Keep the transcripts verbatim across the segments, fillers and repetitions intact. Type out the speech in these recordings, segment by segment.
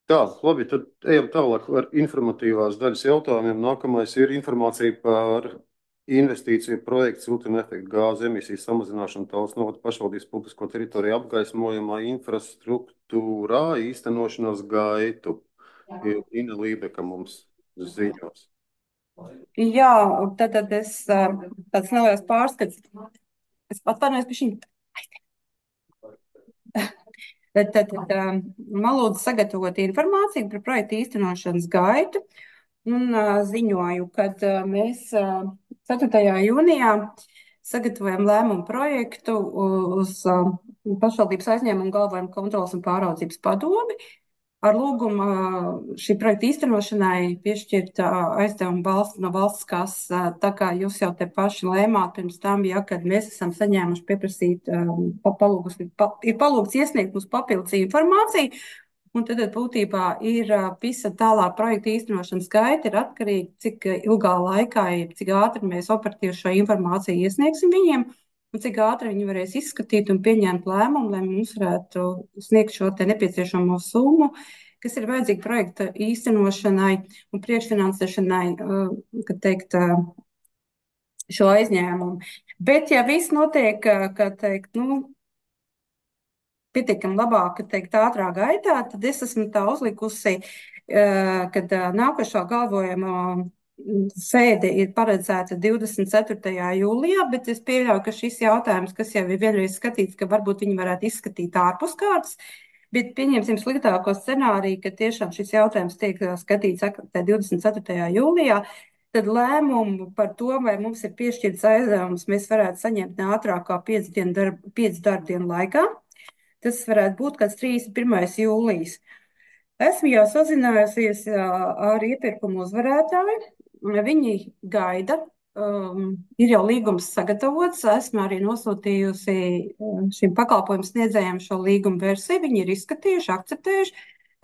Tā, labi, tad ejam tālāk ar informatīvās daļas jautājumiem. Nākamais ir informācija par investīciju projektu siltuma efekta gāzu emisiju samazināšanu Tallinas novada pašvaldības publisko teritoriju apgaismojamā infrastruktūrā īstenošanas gaitu. Ir Ina Lībeka mums ziņos. Jā, tad, tad es ā, tāds neliels pārskats. Es atvainojos par šīm. Tad, tad, tad ā, man lūdzu sagatavot informāciju par projektu īstenošanas gaitu un ā, ziņoju, ka mēs ā, ceturtajā jūnijā sagatavojam lēmumu projektu uz ā, pašvaldības aizņēmumu galvenojumu kontrolas un pāraudzības padomi. Ar lūgumu ā, šī projekta īstenošanai piešķirt ā, aizdevumu valsts, no valsts kases, ā, tā kā jūs jau te paši lēmāt pirms tam, ja, kad mēs esam saņēmuši pieprasīt, ā, pa- palūgus, pa, ir palūgts iesniegt mums papildus informāciju, un tad tad būtībā ir ā, visa tālāk projekta īstenošanas gaita ir atkarīga, cik ilgā laikā, jeb cik ātri mēs operatīvi šo informāciju iesniegsim viņiem, un cik ātri viņi varēs izskatīt un pieņemt lēmumu, lai mums varētu sniegt šo te nepieciešamo summu, kas ir vajadzīga projekta īstenošanai un priekšfinansēšanai, uh, kad teikt, uh, šo aizņēmumu. Bet, ja viss notiek, uh, ka teikt, nu, pietiekami labāk, ka teikt, ātrā gaitā, tad es esmu tā uzlikusi, uh, kad uh, nākošā galvojuma mm, sēde ir paredzēta divdesmit ceturtajā jūlijā, bet es pieļauju, ka šis jautājums, kas jau ir vienreiz skatīts, ka varbūt viņi varētu izskatīt ārpus kārtas, bet pieņemsim sliktāko scenāriju, ka tiešām šis jautājums tiek uh, skatīts ak- tā divdesmit ceturtajā jūlijā, tad lēmumu par to, vai mums ir piešķirts aizdevums, mēs varētu saņemt ne ātrāk kā piecu dienu darb, piecu darbdienu laikā. Tas varētu būt kāds trīsdesmit pirmais jūlijas. Esmu jau sazinājusies ā, ar iepirkumu uzvarētāju. Viņi gaida. Um, ir jau līgums sagatavots. Esmu arī nosūtījusi um, šim pakalpojumu sniedzējiem šo līgumu versiju. Viņi ir izskatījuši, akceptējuši.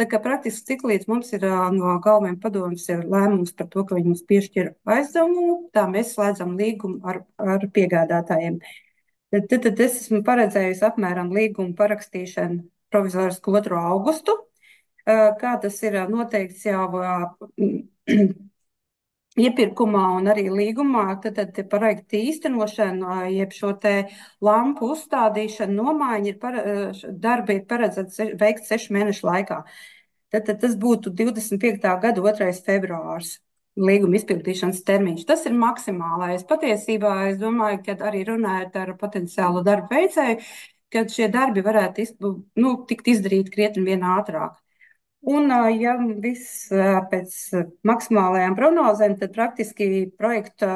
Tā kā praktiski cik līdz mums ir ā, no galvenajiem padomjas ir lēmums par to, ka viņi mums piešķir aizdevumu, tā mēs slēdzam līgumu ar, ar piegādātājiem. Tad, tad, tad es esmu paredzējusi apmēram līgumu parakstīšanu provizorisku otro augustu. Ā, Kā tas ir ā, noteikts jau ā, iepirkumā un arī līgumā, tad, tad te projekta īstenošana, ā, jeb šo te lampu uzstādīšanu, nomaiņa ir para, ā, darbi ir paredzēts se- veikt sešu mēnešu laikā. Tad, tad tas būtu divdesmit piektā gada otrais februārs. Līguma izpildīšanas termiņš. Tas ir maksimālais. Patiesībā es domāju, ka arī runājot ar potenciālu darbu veicēju, ka šie darbi varētu izp- nu, tikt izdarīti krietni vien ātrāk. Un, ā, ja viss ā, pēc ā, maksimālajām prognozēm, tad praktiski projekta,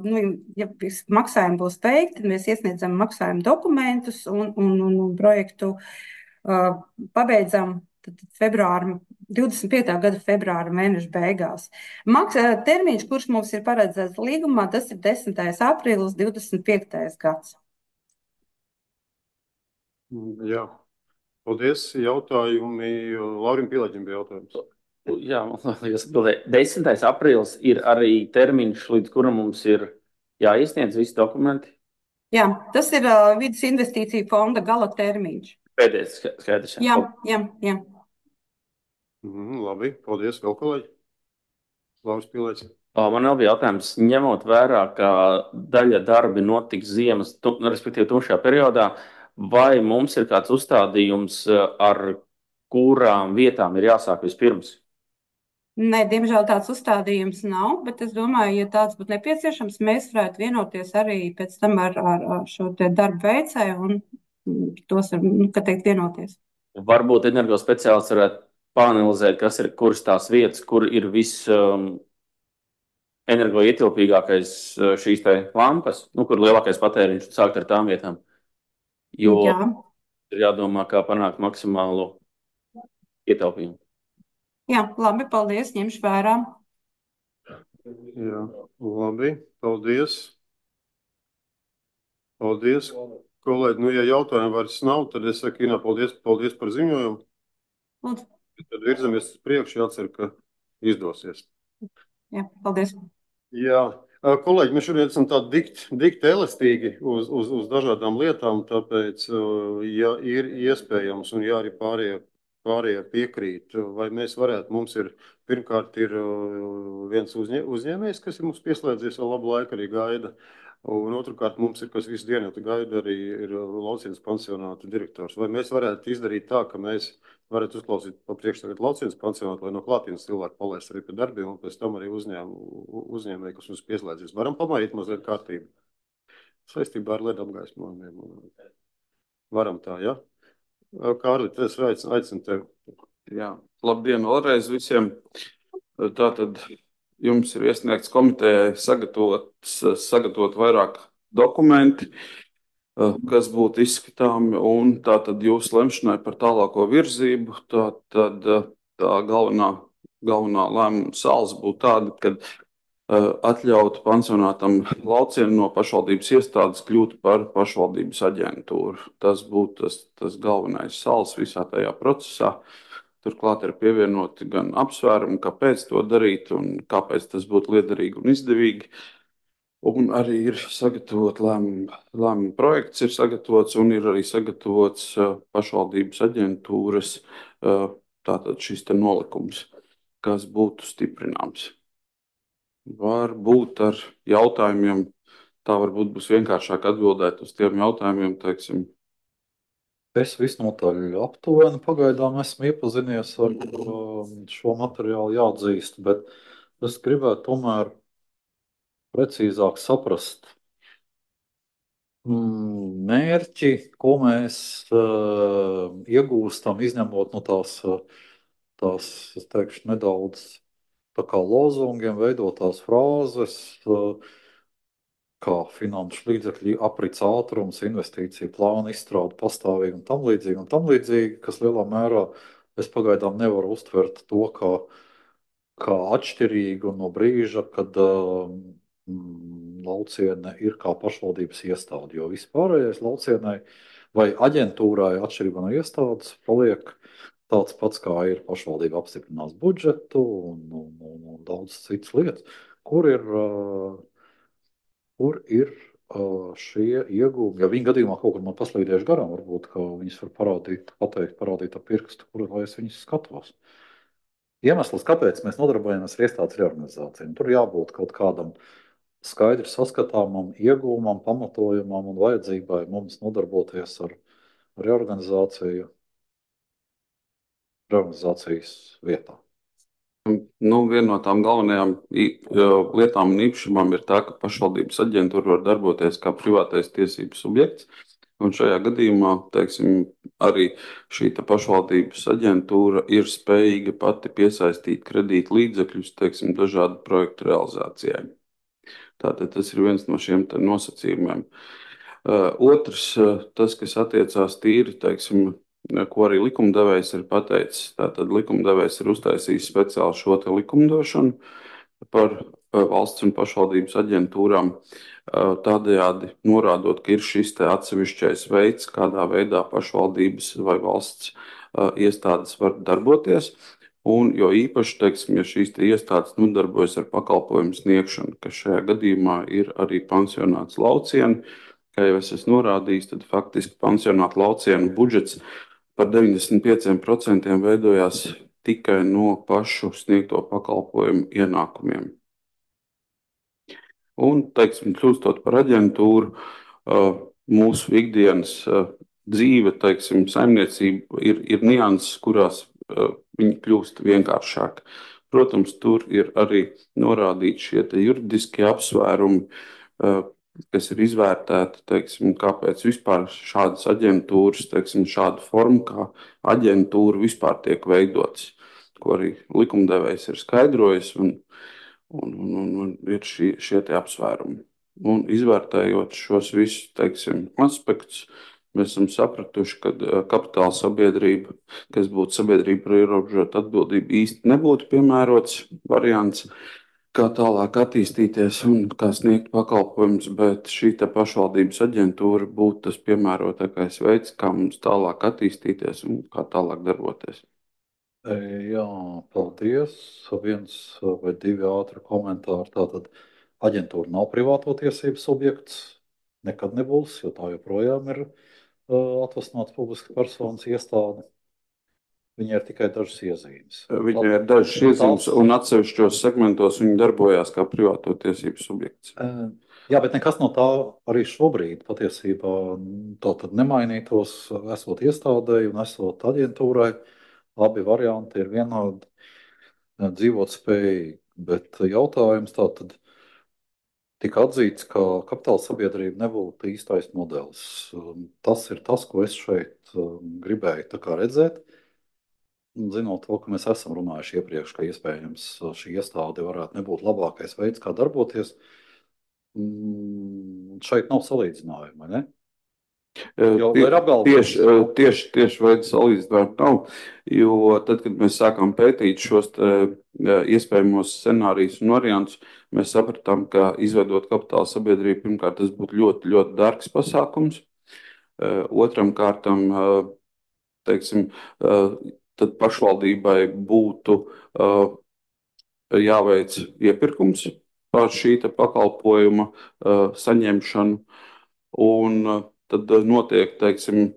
nu, ja viss maksājumi būs veikti, tad mēs iesniedzam maksājumu dokumentus un, un, un, un projektu uh, pabeidzam tad februāra, divdesmit piektā gada februāra mēneša beigās. Maks, ā, termiņš, kurš mums ir paredzēts līgumā, tas ir desmitais aprīlis, divdesmit piektais gads. Mm, Jā, paldies. Jautājumi. Laurim Pielēģim bija jautājums. Jā, man liekas, atbildēja. desmitais aprīlis ir arī termiņš, līdz kuram mums ir jāiesniedz visi dokumenti. Jā, tas ir uh, vidas investīciju fonda gala termiņš. Pēdējais ska- skaidrs. jā. Jā, jā, jā. Mhm, labi, paldies. Vēl kolēģi? Lauris Pielēģis. Ā, Man vēl bija jautājums, ņemot vērā, ka daļa darbi notiks ziemas, tu, nu, respektīvi tumšajā periodā, vai mums ir kāds uzstādījums, ā, ar kurām vietām ir jāsāk vispirms? Nē, diemžēl tāds uzstādījums nav, bet es domāju, ja tāds būtu nepieciešams, mēs varētu vienoties arī pēc tam ar, ar, ar šo te darbu veicēju un mm, tos, ar, nu, kā teikt, vienoties. Varbūt energospeciālists varētu pāanalizēt, kas ir, kuras tās vietas, kur ir viss um, energoietilpīgākais uh, šīs te lampas, nu, kur lielākais patēriņš, un sākt ar tām vietām. Jo Jā, ir jādomā, kā panākt maksimālu ietaupījumu. jā, labi, paldies, ņemšu vērā. Jā, labi, paldies. Paldies, kolēģi. Nu, ja jautājumu vairs nav, tad es saku, Ina, paldies, paldies par ziņojumu. Lūdzu, Tad virzamies uz priekšu, jācer, ka izdosies. jā, paldies. Jā, ā, kolēģi, mēs šodien esam tādi dikti, dikti elastīgi uz, uz, uz dažādām lietām, tāpēc, ā, ja ir iespējams, un ja arī pārējie pārējie piekrīt, vai mēs varētu, mums ir, pirmkārt, ir uh, viens uzņē, uzņēmējs, kas ir mums pieslēdzies vēl labu laiku, arī gaida. Un otrkārt, mums ir, kas visu dienu jau gaida, arī ir Laucienas pansionāta direktors. Vai mēs varētu izdarīt tā, ka mēs varētu uzklausīt pa priekš tagad Laucienas pansionātu, lai no klātienes cilvēku palaist arī pie darbiem, un pēc tam arī uzņēm, uzņēmēji, kas mums pieslēdzies. Varam pamainīt mazliet kārtību saistībā ar ledu apgaismojumiem. Varam tā, ja? Kārli, es aicinu, aicinu tevi. Jā, labdien vēlreiz visiem. Tātad jums ir iesniegts komitejai sagatavots, sagatavot vairāk dokumenti, kas būtu izskatāmi, un tātad jūs lemšanai par tālāko virzību, tātad tā galvenā, galvenā lēmuma sāls būtu tāda, kad atļautu pansionātam Laucienu no pašvaldības iestādes kļūt par pašvaldības aģentūru. Tas būtu tas, tas galvenais sāls visā tajā procesā. Turklāt ir pievienoti gan apsvērumi, kāpēc to darīt un kāpēc tas būtu liederīgi un izdevīgi. Un arī ir sagatavot lēmumu, lēmumu projekts ir sagatavots un ir arī sagatavots pašvaldības aģentūras tātad šis te nolikums, kas būtu stiprināms. Varbūt ar jautājumiem, tā varbūt būs vienkāršāk atbildēt uz tiem jautājumiem, teiksim. Es visnotaļ aptuveni pagaidām esmu iepazinies ar šo materiālu, jāatzīst, bet es gribētu tomēr precīzāk saprast mērķi, ko mēs uh, iegūstam, izņemot no tās, tās, es teikšu, nedaudz tā kā lozungiem veidotās frāzes, kā finanšu līdzekļu aprits ātrums, investīciju plāna izstrāde pastāvīgi un tam līdzīgi, un tam līdzīgi, kas lielā mērā es pagaidām nevaru uztvert to kā, kā atšķirīgu no brīža, kad um, Lauciene ir kā pašvaldības iestāde, jo vispārējais Laucienai vai aģentūrai atšķirībā no iestādes paliek tāds pats, kā ir pašvaldība apstiprinās budžetu un, un, un, un daudz citas lietas, kur ir, uh, kur ir uh, šie iegūmi. Ja viņa gadījumā kaut kur man paslīdējuši garām, varbūt, ka viņas var parādīt, pateikt, parādīt ar pirkstu, kur lai es viņas skatos. Iemesls, kāpēc mēs nodarbojamies ar iestādes reorganizāciju, tur jābūt kaut kādam skaidri saskatāmam iegūmam, pamatojumam un vajadzībai mums nodarboties ar reorganizāciju reorganizācijas vietā. Nu, viena no tām galvenajām lietām un īpašumām ir tā, ka pašvaldības aģentūra var darboties kā privātais tiesības subjekts. Un šajā gadījumā, teiksim, arī šī pašvaldības aģentūra ir spējīga pati piesaistīt kredīt līdzekļus, teiksim, dažādu projektu realizācijai. Tātad tas ir viens no šiem nosacījumiem. Otrs, tas, kas attiecās tīri, teiksim, ko arī likumdevējs ir pateicis. Tātad likumdevējs ir uztaisījis speciāli šo te likumdošanu par valsts un pašvaldības aģentūrām, tādējādi norādot, ka ir šis te atsevišķais veids, kādā veidā pašvaldības vai valsts iestādes var darboties. Un jo īpaši, teiksim, ja šīs te iestādes nodarbojas ar pakalpojumu sniegšanu, kas šajā gadījumā ir arī pansionāts Lauciena, kā jau es esmu norādījis, tad faktiski pansionāta Lauciena budžets par deviņdesmit pieciem procentiem veidojās tikai no pašu sniegto pakalpojumu ienākumiem. Un, teiksim, kļūstot par aģentūru, mūsu ikdienas dzīve, teiksim, saimniecība ir, ir nianses, kurās viņi kļūst vienkāršāk. Protams, tur ir arī norādīti šie te juridiskie apsvērumi, kas ir izvērtēti, teiksim, kāpēc vispār šādas aģentūras, teiksim, šāda forma kā aģentūra vispār tiek veidotas, ko arī likumdevējs ir skaidrojis, un, un, un, un ir šie, šie tie apsvērumi. Un izvērtējot šos visus, teiksim, aspektus, mēs esam sapratuši, ka kapitāla sabiedrība, kas būtu sabiedrība par ierobežotu atbildību, īsti nebūtu piemērots variants, kā tālāk attīstīties un kā sniegt pakalpojumus, bet šī te pašvaldības aģentūra būtu tas piemērotākais veids, kā mums tālāk attīstīties un kā tālāk darboties. Jā, paldies. Viens vai divi ātri komentāri. Tātad aģentūra nav privāto tiesību subjekts, nekad nebūs, jo tā joprojām ir uh, atvasināts publiska personas iestāde. Viņai ir tikai dažas iezīmes. Viņai ir dažas iezīmes, un atsevišķos segmentos viņi darbojās kā privāto tiesību subjekts. Jā, bet nekas no tā arī šobrīd patiesībā tā tad nemainītos, esot iestādēji un esot aģentūrai. Abi varianti ir vienādi dzīvot spējīgi, bet jautājums tā tad tika atzīts, ka kapitāla sabiedrība nebūtu īstais modelis. Tas ir tas, ko es šeit gribēju tā kā redzēt. Zinot to, ka mēs esam runājuši iepriekš, ka iespējams šī iestāde varētu nebūt labākais veids, kā darboties, šeit nav salīdzinājuma, vai ne? Jo, vai ir apgalvojums? Tieši, tieši, tieši veids salīdzinājuma nav, jo tad, kad mēs sākām pētīt šos te, iespējamos scenārijus un variantus, mēs sapratām, ka izveidot kapitāla sabiedrību, pirmkārt, tas būtu ļoti, ļoti dārgs pasākums. Otram kārtam, teiksim, tad pašvaldībai būtu uh, jāveic iepirkums par šī pakalpojuma uh, saņemšanu, un uh, tad notiek, teiksim,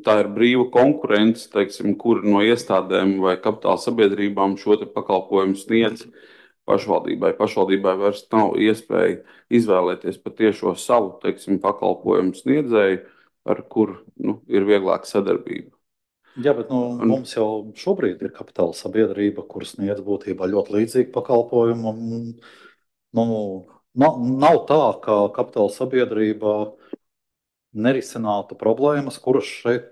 tā ir brīva konkurence, teiksim, kur no iestādēm vai kapitāla sabiedrībām šo te pakalpojumu sniedz pašvaldībai. Pašvaldībai vairs nav iespēja izvēlēties patiešo savu, teiksim, pakalpojumu sniedzēju, ar kur nu, ir vieglāka sadarbība. Jā, bet nu, mums jau šobrīd ir kapitāla sabiedrība, kuras sniedz būtībā ļoti līdzīgu pakalpojumu. Nu, nav, nav tā, ka kapitāla sabiedrība nerisinātu problēmas, kuras šeit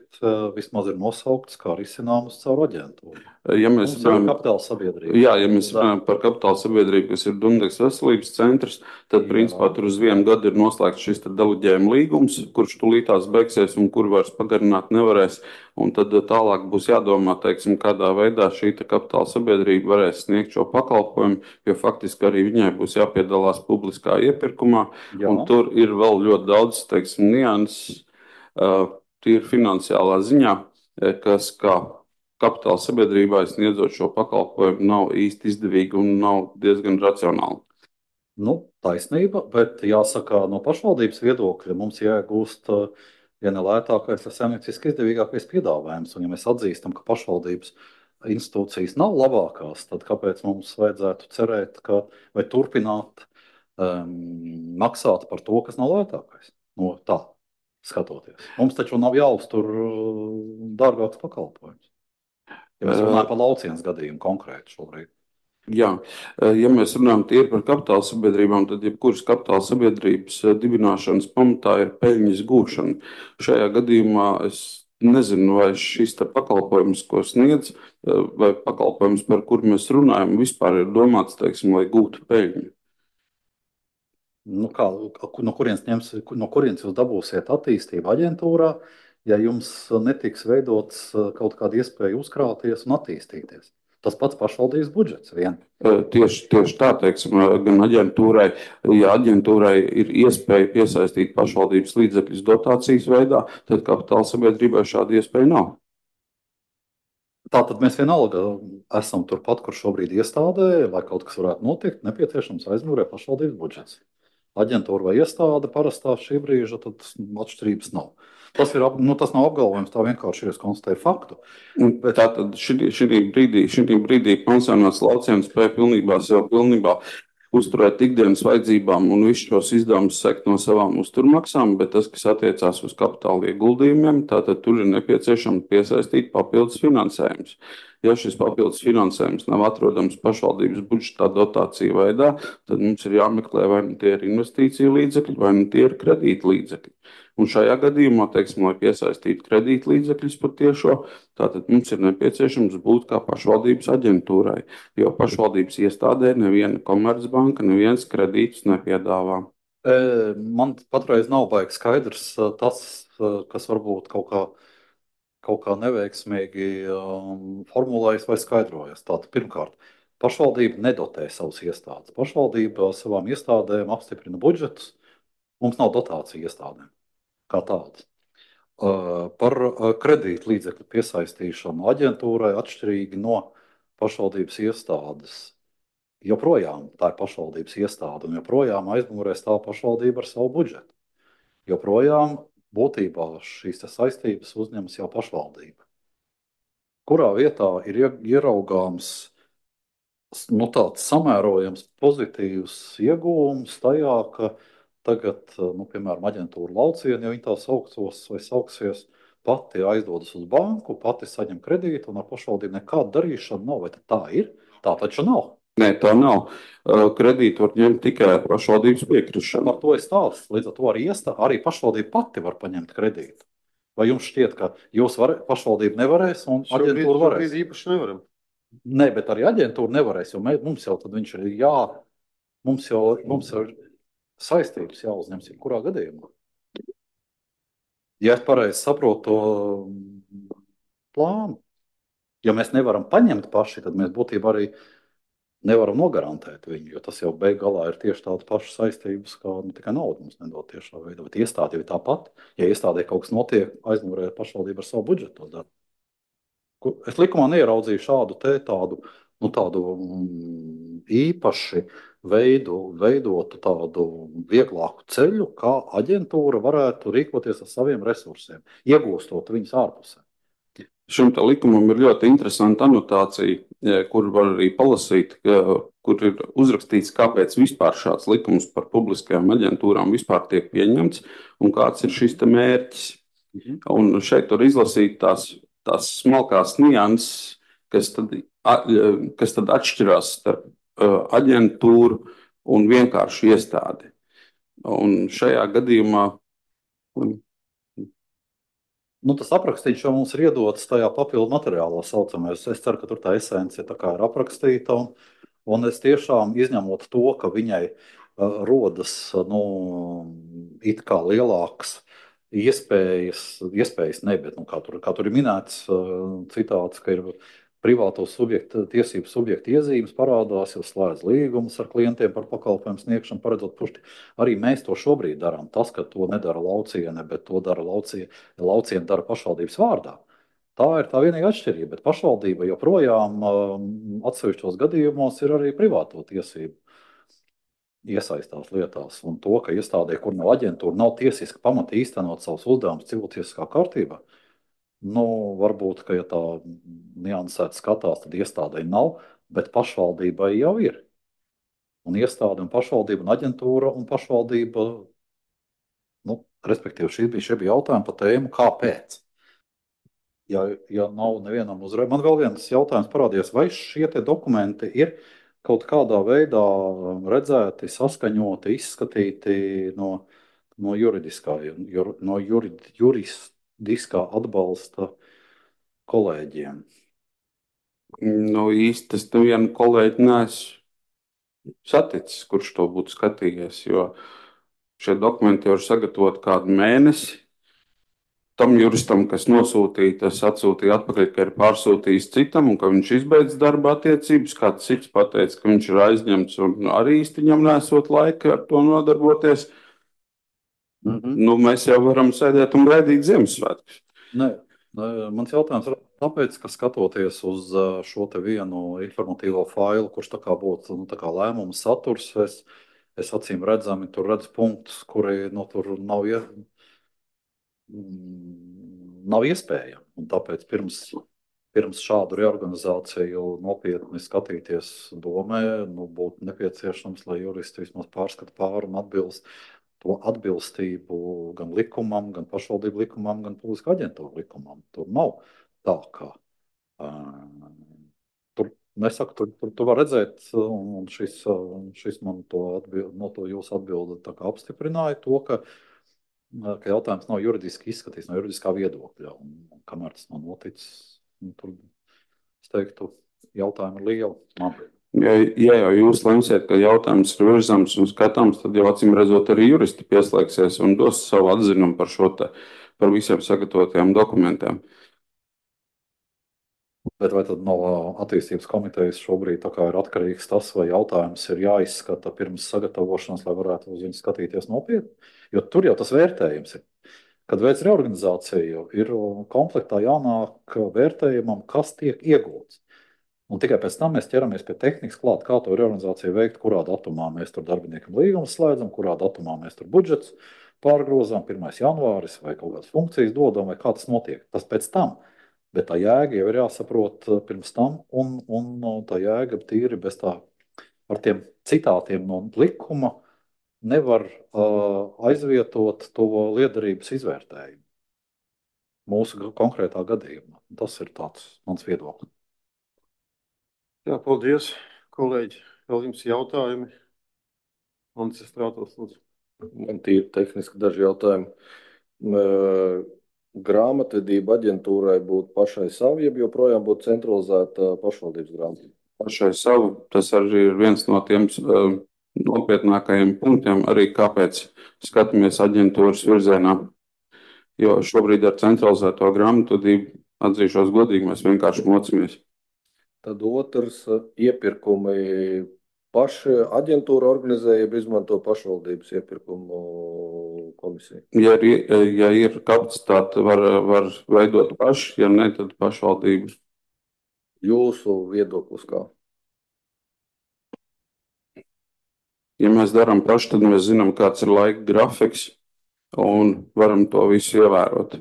vismaz ir nosauktas kā risināmas caur aģentūru. Ja mēs runājam par kapitāla sabiedrību, jā, ja mēs runājam par kapitāla sabiedrību, kas ir Dundegas veselības centrs, tad jā. Principā tur uz vienu gadu ir noslēgts šis deleģējuma līgums, kurš tūlītās beigsies un kur vairs pagarināt nevarēs. Un tad tālāk būs jādomā, teiksim, kādā veidā šī kapitāla sabiedrība varēs sniegt šo pakalpojumu, jo faktiski arī viņai būs jāpiedalās publiskā iepirkumā. Jā. Un tur ir vēl ļoti daudz, teiksim, nianses, tīri finansiālā ziņā, kas kā kapitāla sabiedrībai sniedzot šo pakalpojumu nav īsti izdevīgi un nav diezgan racionāli. Nu, taisnība, bet jāsaka, no pašvaldības viedokļa mums jāiegūst, ja ne lētākais, tad saimnieciski izdevīgākais piedāvājums. Un ja mēs atzīstam, ka pašvaldības institūcijas nav labākās, tad kāpēc mums vajadzētu cerēt, ka vai turpināt um, maksāt par to, kas nav lētākais? No tā skatoties. Mums taču nav jāuztur dārgāks pakalpojums. Ja mēs runājam par laucienas gadījumu konkrēti šobrīd. Jā, ja mēs runājam tīri par kapitāla sabiedrībām, tad jebkuras kapitāla sabiedrības dibināšanas pamatā ir peļņas gūšana. Šajā gadījumā es nezinu, vai šis pakalpojums, ko sniedz, vai pakalpojums, par kuru mēs runājam, vispār ir domāts, teiksim, lai gūtu peļņu. Nu kā, no kurienes ņems, no kurienes jūs dabūsiet attīstību aģentūrā, ja jums netiks veidots kaut kāda iespēja uzkrāties un attīstīties? Tas pats pašvaldības budžets vien. Tieši, tieši tā, teiksim, gan aģentūrai, ja aģentūrai ir iespēja piesaistīt pašvaldības līdzekļus dotācijas veidā, tad kapitāla sabiedrībai šāda iespēja nav. Tātad mēs vienalga esam turpat, kur šobrīd iestādē, lai kaut kas varētu notikt, nepieciešams aizmūrē pašvaldības budžets. Aģentūra vai iestāde parastā šī brīža, tad atšķirības nav. Tas, ir, nu, tas nav apgalvojums, tā vienkārši ir, es konstatēju faktu. Bet... Tātad šī, šī brīdī, šī brīdī pansionāts lauciens spēja pilnībā, sev pilnībā uzturēt ikdienas vajadzībām un visus šos izdevumus sekt no savām uzturmaksām, bet tas, kas attiecās uz kapitāla ieguldījumiem, tātad tur ir nepieciešams piesaistīt papildus finansējums. Ja šis papildus finansējums nav atrodams pašvaldības budžetā dotāciju veidā, tad mums ir jāmeklē, vai nu tie ir investīciju līdzekļi, vai nu tie ir kredīta līdzekļi. Un šajā gadījumā, teiksim, lai piesaistītu kredīta līdzekļus par tiešo, tātad mums ir nepieciešams būt kā pašvaldības aģentūrai, jo pašvaldības iestādē neviena komercbanka, neviens kredītus nepiedāvā. Man patreiz nav baigi skaidrs tas, kas varbūt kaut kā kaut kā neveiksmīgi um, formulējas vai skaidrojas. Tātad, pirmkārt, pašvaldība nedotē savas iestādes. Pašvaldība savām iestādēm apstiprina budžetus. Mums nav dotācija iestādēm kā tādas. Uh, par uh, kredītu līdzekļu piesaistīšanu aģentūrai atšķirīgi no pašvaldības iestādes. Joprojām tā ir pašvaldības iestāde un joprojām aizmugurē stāv pašvaldība ar savu budžetu. Joprojām būtībā šīs saistības uzņemas jau pašvaldība. kurā vietā ir ie- ieraugāms nu, tāds samērojams pozitīvs iegūms tajā, ka tagad, nu, piemēram, aģentūra Lauciena, ja viņi tā saucos vai sauksies, pati aizdodas uz banku, pati saņem kredītu un ar pašvaldību nekāda darīšana nav. Vai tad tā ir? Tā taču nav. Nē, tā nav. Uh, Kredītu var ņemt tikai ar pašvaldības piekrišanu. Par to ir stāsts. Līdz ar to arī, iestā, arī pašvaldība pati var paņemt kredītu. Vai jums šķiet, ka jūs var, pašvaldība nevarēs un Šobrīd, aģentūra varēs? šobrīd īpaši nevaram. Nē, bet arī aģentūra nevarēs, jo mē, mums jau tad viņš ir jā, mums jau mums ir saistības jāuzņems jebkurā gadījumā. Ja es pareizi saprotu to plānu, ja mēs nevaram paņemt paši, tad mēs būtībā arī nevaram nogarantēt viņu, jo tas jau beig galā ir tieši tādas pašas saistības, kā nu, tikai naudu mums nedod tiešā veidā. Bet iestāde jau ir tāpat. Ja iestādē kaut kas notiek, aizmugurē pašvaldība ar savu budžetu to dara. Ku- Es likumā neieraudzīju šādu te tādu, nu, tādu mm, īpaši veidu, veidotu tādu vieglāku ceļu, kā aģentūra varētu rīkoties ar saviem resursiem, iegūstot viņus ārpusē. Šim te likumam ir ļoti interesanta anotācija, eh, kur var arī palasīt, ka- kur ir uzrakstīts, kāpēc vispār šāds likums par publiskajām aģentūrām vispār tiek pieņemts un kāds ir šis te mērķis. Un šeit var izlasīt tās, tās smalkās nianses, kas tad, a- kas tad atšķirās starp uh, aģentūru un vienkārši iestādi. Un šajā gadījumā Nu, tas aprakstīts jau mums ir iedots tajā papildu materiālā saucamais. Es ceru, ka tur tā esence tā kā ir aprakstīta. Un, un es tiešām izņemot to, ka viņai uh, rodas uh, nu, it kā lielākas iespējas, iespējas ne, bet, nu, kā, tur, kā tur ir minēts uh, citāts, ka ir privāto subjektu, tiesību subjektu iezīmes parādās, jau slēdz līgumus ar klientiem par pakalpojumu sniegšanu, paredzot pušti. Arī mēs to šobrīd darām. Tas, ka to nedara Lauciene, bet to dara Lauciene, Lauciene dara pašvaldības vārdā. Tā ir tā vienīgā atšķirība, bet pašvaldība joprojām um, atsevišķos gadījumos ir arī privāto tiesību iesaistās lietās. Un to, ka iestādē, kur nav aģentūra, nav tiesiski pamata īstenot savus uzdevumus cilvēciskā kārtībā, nu, varbūt, ka ja tā niansēti skatās, tad iestādē nav, bet pašvaldībai jau ir. Un iestāde un pašvaldība un aģentūra un pašvaldība, nu, respektīvi, šī bija, šie bija jautājumi par tēmu, kāpēc. Ja, ja nav nevienam uzreiz, man vēl viens jautājums parādījās, vai šie te dokumenti ir kaut kādā veidā redzēti, saskaņoti, izskatīti no, no juridiskā, jur, no jurid, juridiskā atbalsta kolēģiem. nu, īsti es nevienu kolēģi neesmu saticis, kurš to būtu skatījies, jo šie dokumenti jau ir sagatavoti kādu mēnesi. Tam juristam, kas nosūtīja, tas atsūtīja atpakaļ, ka ir pārsūtījis citam un ka viņš izbeidz darba attiecības. Kāds cits pateica, ka viņš ir aizņemts un arī īsti viņam nesot laika ar to nodarboties. Mhm. Nu, mēs jau varam sēdēt un gaidīt Ziemassvētkus. Nē, nē, mans jautājums ir tāpēc, ka skatoties uz ā, šo te vienu informatīvo failu, kurš tā kā būtu nu, tā kā lēmuma saturs, es, es acīm redzami tur redzu punktus, kuri nu, tur nav, ie, mm, nav iespējami. Un tāpēc pirms, pirms šādu reorganizāciju nopietni skatīties domē, nu, būtu nepieciešams, lai juristi vismaz pārskata pāri un atbilst to atbilstību gan likumam, gan pašvaldību likumam, gan publiskā aģentūra likumam. Tur nav tā, ka uh, tur, nesaku, tur, tur, tur var redzēt, un šis, šis man to atbild, no to jūsu atbildi tā kā apstiprināja to, ka, ka jautājums nav juridiski izskatīts no juridiskā viedokļa, un, un kamēr tas nav noticis, nu, tur, es teiktu, jautājumi ir lieli. Man. Ja, ja jau jūs lemsiet, ka jautājums ir virzams un skatāms, tad jau acīm redzot arī juristi pieslēgsies un dos savu atzinumu par šo te, par visiem sagatavotajiem dokumentiem. Bet vai tad no attīstības komitejas šobrīd tā kā ir atkarīgs tas, vai jautājums ir jāizskata pirms sagatavošanas, lai varētu uz viņu skatīties nopietni? Jo tur jau tas vērtējums ir. Kad veids reorganizāciju, ir komplektā jānāk vērtējumam, kas tiek iegūts. Un tikai pēc tam mēs ķeramies pie tehnikas klāt, kā to reorganizāciju veikt, kurā datumā mēs tur darbiniekam līgumus slēdzam, kurā datumā mēs tur budžets pārgrozām, pirmais janvāris vai kaut kādas funkcijas dodam, vai kā tas notiek. Tas pēc tam. Bet tā jēga jau ir jāsaprot pirms tam, un, un tā jēga tīri bez tā ar tiem citātiem no likuma nevar uh, aizvietot to liederības izvērtējumu mūsu konkrētā gadījumā. Tas ir tāds mans viedoklis. Jā, paldies, kolēģi. Vēl jums jautājumi? Mans Strātos, lūdzu. Man tīri tehniski daži jautājumi. Uh, Grāmatvedība aģentūrai būtu pašai savu, jeb joprojām būtu centralizēta pašvaldības grāmatvedība? Pašai savu, tas arī ir viens no tiem uh, nopietnākajiem punktiem, arī kāpēc skatāmies aģentūras virzienā. Jo šobrīd ar centralizēto grāmatvedību, atzīšos godīgi, mēs vienkārši mocamies. Tad otrs iepirkumi paši aģentūra organizē, jeb izmanto pašvaldības iepirkumu komisiju? Ja ir, ja ir kapacitāte, var, var veidot paši, ja ne, tad pašvaldības. Jūsu viedoklis kā? Ja mēs darām paši, tad mēs zinām, kāds ir laika grafiks un varam to visu ievērot.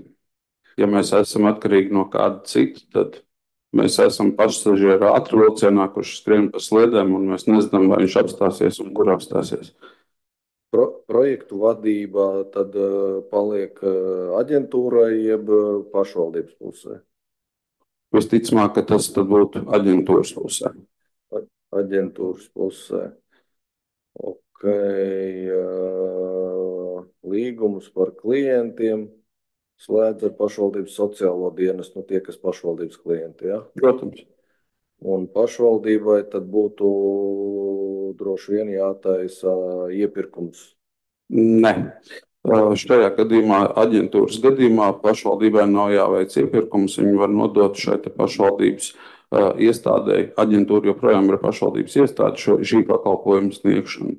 Ja mēs esam atkarīgi no kāda cita, tad mēs esam pasažieru ātru vilcienā, kurš skrien pa sliedēm, un mēs nezinām, vai viņš apstāsies un kur apstāsies. Pro, projektu vadība tad uh, paliek uh, aģentūrai jeb uh, pašvaldības pusē? Visticamāk, ka tas tad būtu aģentūras pusē. A, aģentūras pusē. Ok. Uh, līgumus par klientiem slēdz ar pašvaldības sociālo dienestu, nu tie, kas pašvaldības klienti, ja? Protams. Un pašvaldībai tad būtu droši vien jātaisa iepirkums. Nē. Šajā gadījumā, aģentūras gadījumā, pašvaldībai nav jāveic iepirkums. Viņi var nodot šai pašvaldības uh, iestādēji. Aģentūra joprojām ir pašvaldības iestāde šo, šī pakalpojuma sniegšana.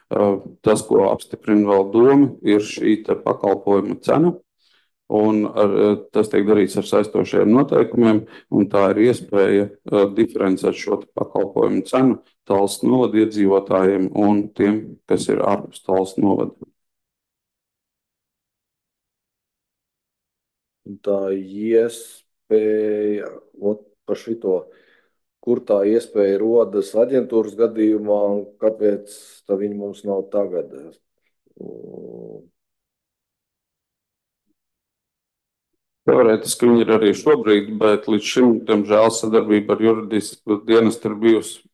Uh, tas, ko apstiprina vēl doma, ir šī pakalpojuma cena. Un ar, tas tiek darīts ar saistošiem noteikumiem, un tā ir iespēja uh, diferencēt šo pakalpojumu cenu Tallas novada iedzīvotājiem un tiem, kas ir ārpus Tallas novada. Tā iespēja, ot, par šito, kur tā iespēja rodas aģentūras gadījumā, un kāpēc tā viņa mums nav tagad? Teorētiski viņi ir arī šobrīd, bet līdz šim, diemžēl, sadarbība ar juridisku dienestu ir bijusi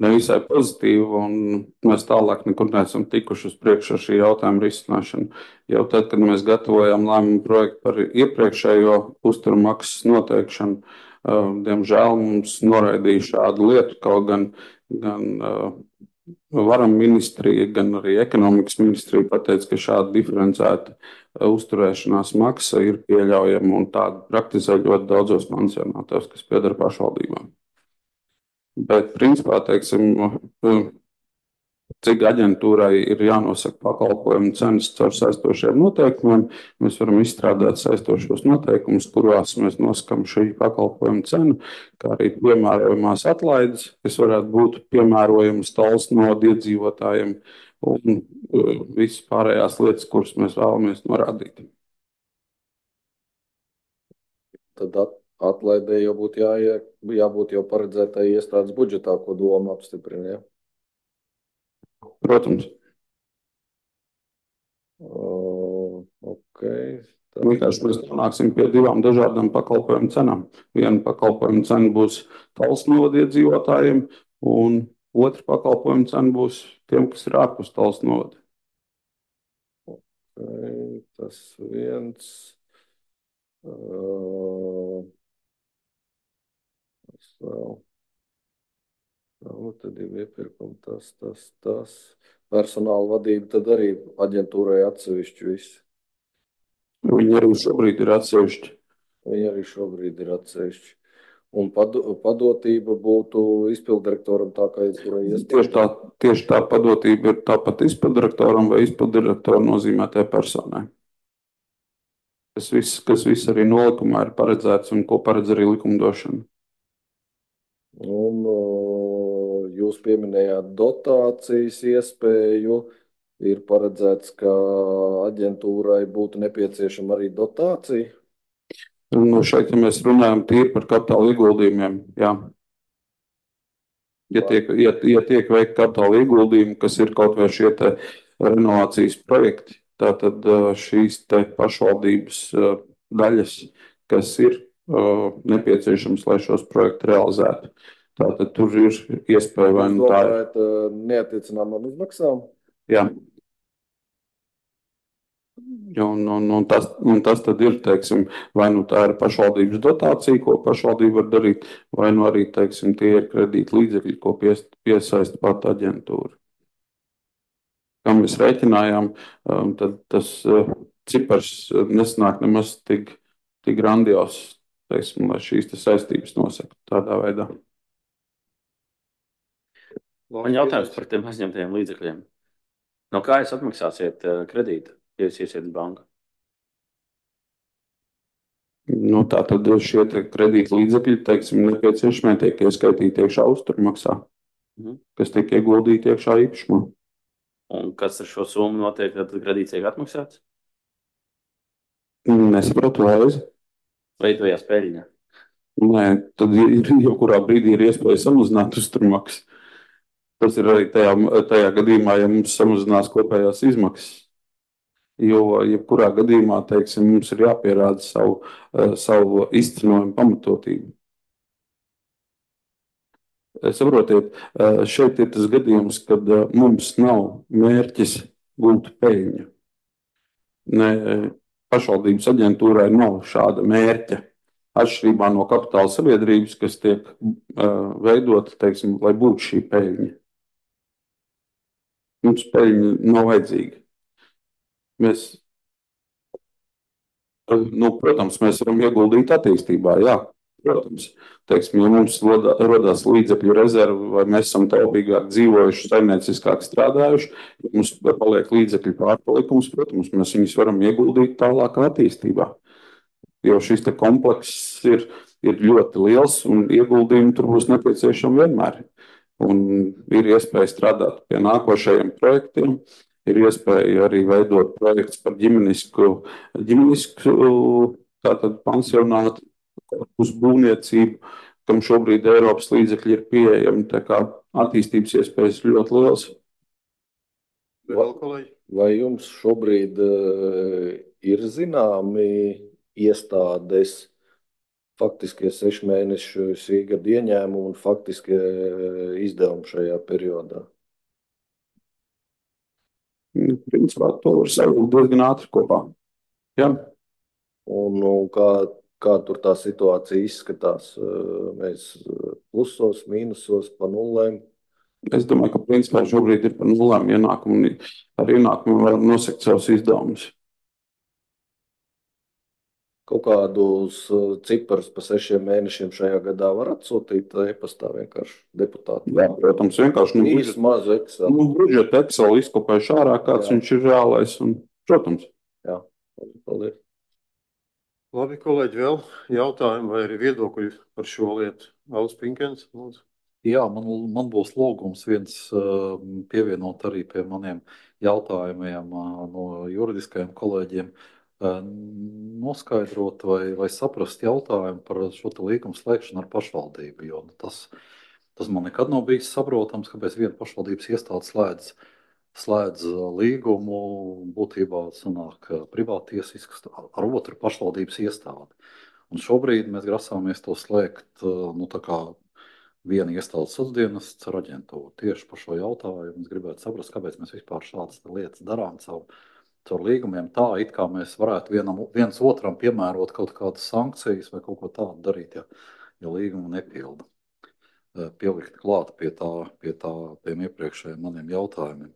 nevisai pozitīva, un mēs tālāk nekur neesam tikuši uz priekšu ar šī jautājuma risināšanu. Jau tad, kad mēs gatavojām lēmumu projektu par iepriekšējo uzturmaksas noteikšanu, diemžēl mums noraidīja šādu lietu, kaut gan, gan varam ministrija, gan arī ekonomikas ministrija pateica, ka šāda diferencēta uzturēšanās maksa ir pieļaujama, un tāda praktizē ļoti daudzos pansionātos, kas pieder pašvaldībām. Bet, principā, teiksim, cik aģentūrai ir jānosaka pakalpojumu cenas caur saistošiem noteikumiem, mēs varam izstrādāt saistošos noteikumus, kurās mēs nosakam šī pakalpojuma cenu, kā arī piemērojamās atlaides, kas varētu būt piemērojamas Tallas novada iedzīvotājiem, un visas pārējās lietas, kuras mēs vēlamies norādīt. Tad at, atlaidē jau būtu jā, jābūt jau paredzētai iestādes budžetā, ko doma apstiprina, ja? Protams. Uh, ok. Tā. Vienkārši mēs nonāksim pie divām dažādām pakalpojumu cenām. Viena pakalpojumu cena būs Tallas novada iedzīvotājiem, un otra pakalpojumu cena būs tiem, kas ir ārpus Tallas novada. Okay, tas viens. Uh, tas vēl. Nu, tad ir iepirkumi tas, tas, tas. Personāla vadība tad arī aģentūrai atsevišķi viss. Viņi arī šobrīd ir atsevišķi. Viņi arī šobrīd ir atsevišķi. Un pado, padotība būtu izpildirektoram tā, kā aizturē iestāde. Tieši tā, tieši tā padotība ir tāpat izpildirektoram vai izpildirektoru nozīmētajai personai. Tas viss, kas viss arī nolikumā ir paredzēts un ko paredz arī likumdošana. Un uh, jūs pieminējāt dotācijas iespēju. Ir paredzēts, ka aģentūrai būtu nepieciešama arī dotācija? Nu, šeit, ja mēs runājam tīri par kapitāla ieguldījumiem, jā. Ja tiek, ja, ja tiek veikti kapitāla ieguldījumi, kas ir kaut vai šie te renovācijas projekti, tātad šīs te pašvaldības daļas, kas ir nepieciešams, lai šos projektus realizētu. Tātad tur ir iespēja vai nu tā ir. Jūs domājat neattiecināmām izmaksām? Jā. Un, un, un, tas, un tas tad ir, teiksim, vai nu tā ir pašvaldības dotācija, ko pašvaldība var darīt, vai nu arī, teiksim, tie ir kredīta līdzekļi, ko pies, piesaista pat aģentūra. Kā mēs rēķinājām, tad tas cipars nesanāk nemaz tik, tik grandios, teiksim, lai šīs te saistības nosaka tādā veidā. Man jautājums par tiem aizņemtajiem līdzekļiem. No kā jūs atmaksāsiet kredītu, ja jūs iesiet banku? Nu, tā tad šie kredīta līdzekļi, teiksim, nepieciešamie tiek ieskaitīti iekšā uzturmaksā, Mhm. kas tiek ieguldīti iekšā īpašumā. Un kas ar šo summu notiek, tad kredīts tiek atmaksāts? Nesapratu vēlreiz. Veidojās peļņa. Nē, tad ir, jau kurā brīdī ir iespēja samazināt uzturmaksu. Tas ir arī tajā, tajā gadījumā, ja mums samazinās kopējās izmaksas. Jo, jebkurā gadījumā, teiksim, mums ir jāpierāda savu, savu izcenojumu pamatotību. Saprotiet, šeit ir tas gadījums, kad mums nav mērķis gūt peļņu. Ne, pašvaldības aģentūrai nav šāda mērķa. Atšķirībā no kapitāla sabiedrības, kas tiek uh, veidota, teiksim, lai būtu šī peļņa. Mums peļņa nav vajadzīga. Mēs, nu, protams, mēs varam ieguldīt attīstībā, jā, protams. Teiksim, ja mums rodās līdzekļu rezervi, vai mēs esam taupīgāk dzīvojuši, saimnieciskāk strādājuši, ja mums paliek līdzekļu pārpalikums, protams, mēs viņus varam ieguldīt tālāk attīstībā. Jo šis te komplekss ir, ir ļoti liels un ieguldījumi tur būs nepieciešami vienmēr. Un ir iespēja strādāt pie nākošajiem projektiem, ir iespēja arī veidot projekts par ģimenisku, ģimenisku tātad pansionātu, uz būvniecību, kam šobrīd Eiropas līdzekļi ir pieejami, tā kā attīstības iespējas ļoti liels. Vai, vai jums šobrīd uh, ir zināmi iestādes faktiskie sešu mēnešu sīgada ieņēmumi un faktiskie izdevumi šajā periodā? Principā to var savilkt diezgan ātri kopā. Jā. Un, un kā, kā tur tā situācija izskatās? Mēs plusos, mīnusos, pa nulēm? Es domāju, ka principā šobrīd ir pa nulēm ienākumu un ar ienākumu varam nosakt savus izdevumus. Kaut kādus ciparus pa sešiem mēnešiem šajā gadā var atsūtīt e-pastā vienkārši deputāti. Jā, protams, vienkārši nu, Īsti mazu Excel. Nu, budžeta Excel izkopējuši ārā, kāds Jā. Viņš ir reālais. Un, protams. Jā, paldies. Labi, kolēģi, vēl jautājumi vai arī viedokļi par šo lietu? Alis Pinkens, lūdzu. Jā, man, man būs lūgums viens uh, pievienot arī pie maniem jautājumiem uh, no juridiskajiem kolēģiem. Noskaidrot vai, vai saprast jautājumu par šo līgumu slēgšanu ar pašvaldību. Jo tas, tas man nekad nav bijis saprotams, kāpēc viena pašvaldības iestāde slēdz, slēdz līgumu, būtībā sanāk privātiesisks ar otru pašvaldības iestādi. Un šobrīd mēs grasāmies to slēgt nu, tā kā viena iestādes sociāldienests ar aģentūru. Tieši par šo jautājumu es gribētu saprast, kāpēc mēs vispār šādas lietas darām caur caur līgumiem tā, it kā mēs varētu vienam, viens otram piemērot kaut kādas sankcijas vai kaut ko tādu darīt, ja, ja līgumu nepilda. Pielikt klāt pie tā, pie tā, tiem iepriekšējiem maniem jautājumiem.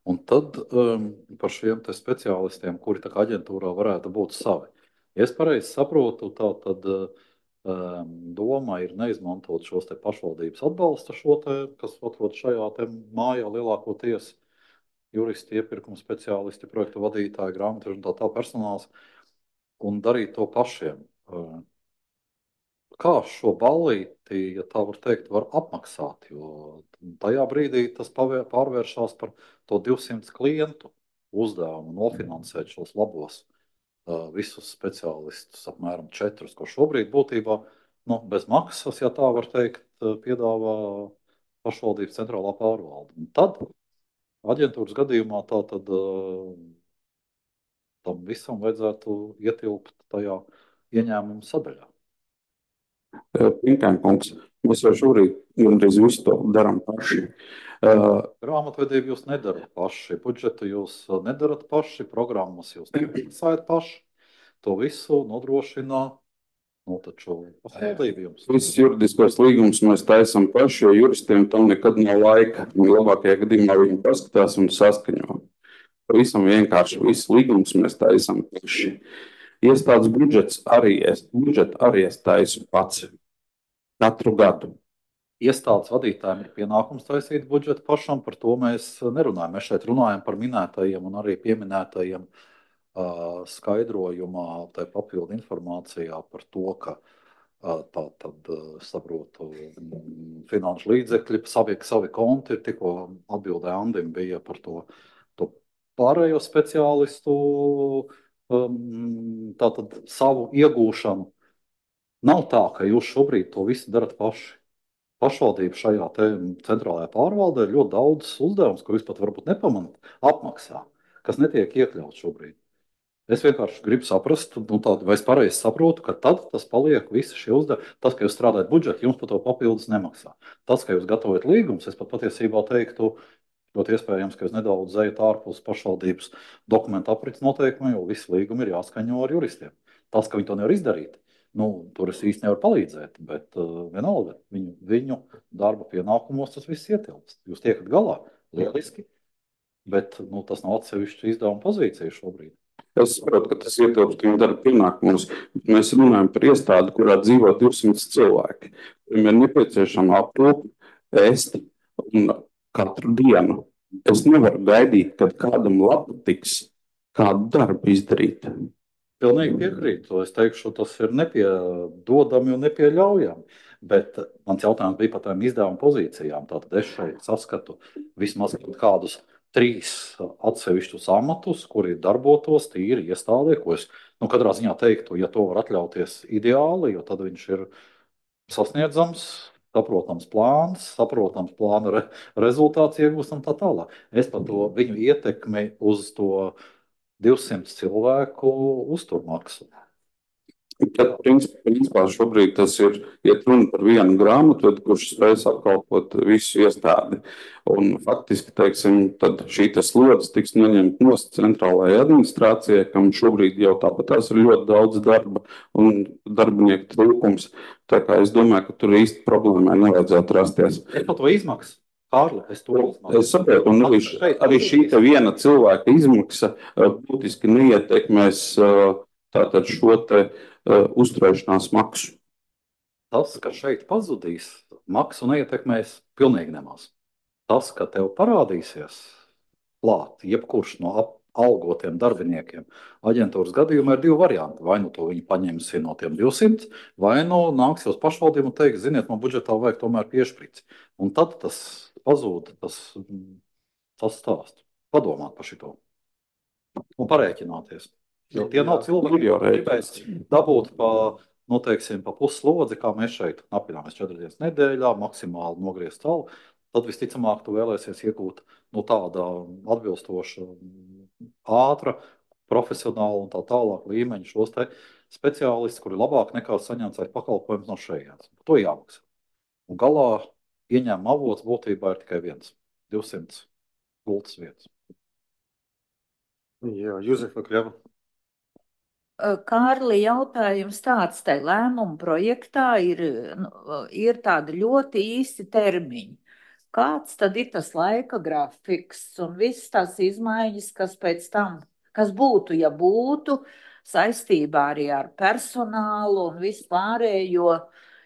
Un tad um, par šiem te speciālistiem, kuri tā kā aģentūrā varētu būt savi. Ja es pareizi saprotu, tā tad um, doma ir neizmantot šos te pašvaldības atbalsta šo te, kas atrod šajā te mājā lielākoties, juristi, iepirkuma speciālisti, projektu vadītāji, grāmatveži un tā tā personāls, un darīt to pašiem. Kā šo ballīti, ja tā var teikt, var apmaksāt, jo tajā brīdī tas pārvēršās par to divsimt klientu uzdevumu nofinansēt šos labos uh, visus speciālistus, apmēram četrus, ko šobrīd būtībā nu, bez maksas, ja tā var teikt, piedāvā pašvaldības centrālā pārvalde. Un tad aģentūras gadījumā tā tad uh, tam visam vajadzētu ietilpt tajā ieņēmuma sadaļā. Pinkēnkungs, mēs jau šobrīd gandrīz visu to darām paši. Uh, Grāmatvedību jūs nedarat paši, budžetu jūs nedarat paši, programmas jūs nemaksājat paši. To visu nodrošina nu, taču pašvaldība jums. Visus juridiskos līgumus mēs taisam paši, jo juristiem tam nekad nav laika. Labākajā gadījumā viņi paskatās un saskaņo. Pavisam vienkārši visus līgumus mēs taisam paši. Iestādes budžets arī es, budžetu arī es taisu pats katru gadu. Iestādes vadītājiem ir pienākums taisīt budžetu pašam, par to mēs nerunājam. Mēs šeit runājam par minētajiem un arī pieminētajiem uh, skaidrojumā, tai papildu informācijā par to, ka uh, tā tad, uh, saprotu, finanšu līdzekļi, savi, savi konti, ir tikko atbildē Andim bija par to, to pārējo speciālistu um, tātad savu iegūšanu. Nav tā, ka jūs šobrīd to visu darat paši. Pašvaldība šajā centrālajā pārvaldē ir ļoti daudz uzdevums, ko jūs pat varbūt nepamanāt, apmaksā, kas netiek iekļauts šobrīd. Es vienkārši gribu saprast, nu, tādu, vai es pareizi saprotu, ka tad tas paliek visi šie uzdevumi. Tas, ka jūs strādājat budžetu, jums par to papildus nemaksā. Tas, ka jūs gatavojat līgumus, es pat patiesībā teiktu, ļoti iespējams, ka jūs nedaudz ejat ārpus pašvaldības dokumentu aprits noteikumiem, jo visi līgumi ir jāskaņo ar juristiem. Tas, ka viņi to nevar izdarīt, nu, tur es īsti nevaru palīdzēt, bet uh, vienalga viņu, viņu darba pienākumos tas viss ietilpst. Jūs tiekat galā, lieliski, bet nu, tas nav atsevišķi izdevuma pozīcija šobrīd. Es saprotu, ka tas ietilpst viņu darba pienākumos. Mēs runājam par iestādi, kurā dzīvo divsimt cilvēki. Viņiem ir nepieciešama aprūpe, ēst un katru dienu. Es nevaru gaidīt, kad kādam labpatiks kādu darbu izdarīt. Pilnīgi piekrītu. Es teikšu, tas ir nepiedodami un nepieļaujami. Bet mans jautājums bija par tām izdevuma pozīcijām. Tātad es šeit saskatu vismaz kādus trīs atsevišķus amatus, kuri darbotos tīri iestādē, ko es nu, katrā ziņā teiktu, ja to var atļauties ideāli, jo tad viņš ir sasniedzams, saprotams plāns, saprotams plāna re rezultāts iegūstam tā tālāk. Es par to viņu ietekmi uz to divsimt cilvēku uzturmaksu. Tad, principā, šobrīd tas ir iet runa par vienu grāmatvedi, kurš spēj apkalpot visu iestādi. Un faktiski, teiksim, tad šī slodze tiks noņemta no centrālajai administrācijai, kam šobrīd jau tāpat tās ir ļoti daudz darba un darbinieku trūkums. Tā kā es domāju, ka tur īsti problēmai nevajadzētu rasties. Es par to izmaksu. Kārli, es to izmaksu. Es saprotu, un arī, arī šī te viena cilvēka izmaksa būtiski neietekmēs tātad šo te uzturēšanās maksu. Tas, ka šeit pazudīs, maksu neietekmēs pilnīgi nemaz. Tas, ka tev parādīsies klāt jebkurš no algotiem darbiniekiem, aģentūras gadījumā ir divi varianti. Vai nu to viņi paņemsi no tiem divsimt, vai nu nāks uz pašvaldību un teiks, ziniet, man budžetā vajag tomēr piešprīci. Un tad tas pazūd, tas, tas stāst. Padomāt par šito. Un parēķināties. Jo tie nav cilvēki, jau kas gribēs dabūt pa, nu, teiksim, pa puslodzi, kā mēs šeit apināmies četras dienas nedēļā, maksimāli nogriezt salu, tad visticamāk tu vēlēsies iegūt nu, tāda atbilstoša, ātra, profesionāla un tā tālāk līmeņa šos te speciālistus, kuri labāk nekā saņemt vai pakalpojums no šejienes. To jāmaksā. Un galā ieņēmuma avots būtībā ir tikai viens - divsimt gultas vietas. Jā, Juzefa Kļava. Kārli, jautājums tāds, tai lēmuma projektā ir, nu, ir tādi ļoti īsti termiņi. Kāds tad ir tas laika grafiks un visas tās izmaiņas, kas pēc tam, kas būtu, ja būtu, saistībā arī ar personālu un visu pārējo,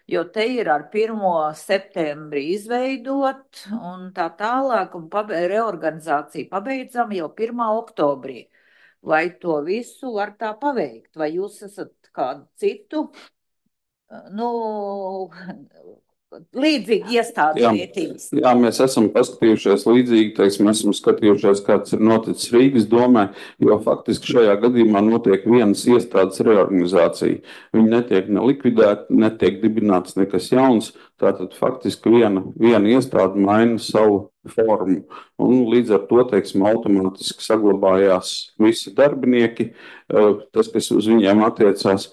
jo te ir ar pirmo septembri izveidot un tā tālāk, un pabe reorganizāciju pabeidzam jau pirmā oktobrī. Vai to visu var tā paveikt? Vai jūs esat kādu citu nu, līdzīgi iestādes Jā. vietības. Jā, mēs esam paskatījušies līdzīgi, teiksim, esam skatījušies, kāds ir noticis Rīgas domē, jo faktiski šajā gadījumā notiek vienas iestādes reorganizācija. Viņi netiek ne likvidēti, netiek dibināts nekas jauns, tātad faktiski viena, viena iestāde maina savu formu. Un līdz ar to, teiksim, automātiski saglabājās visi darbinieki, tas, kas uz viņiem attiecās.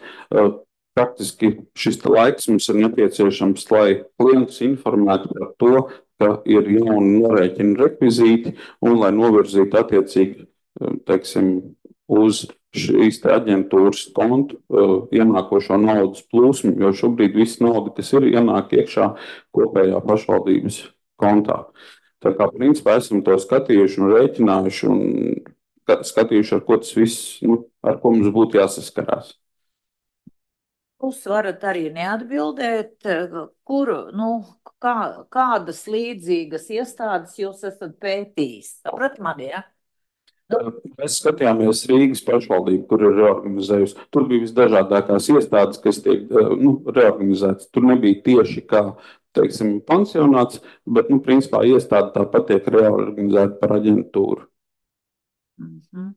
Praktiski šis laiks mums ir nepieciešams, lai klientus informētu par to, ka ir jauni norēķina rekvizīti un lai novirzītu attiecīgi, teiksim, uz šīs te aģentūras kontu ienākošo naudas plūsmu, jo šobrīd viss nauda, kas ir, ienāk iekšā kopējā pašvaldības kontā. Tā kā principā esam to skatījuši un rēķinājuši un skatījuši, ar ko tas viss, nu, ar ko mums būtu jāsaskarās. Jūs varat arī neatbildēt, kuru, nu, kā, kādas līdzīgas iestādes jūs esat pētījis. Saprat mani, ja? Mēs skatījāmies Rīgas pašvaldību, kur ir reorganizējusi. Tur bija visdažādākās iestādes, kas tiek nu, reorganizētas. Tur nebija tieši kā, teiksim, pansionāts, bet, nu, principā iestāde tāpat tiek reorganizēta par aģentūru. Mhm.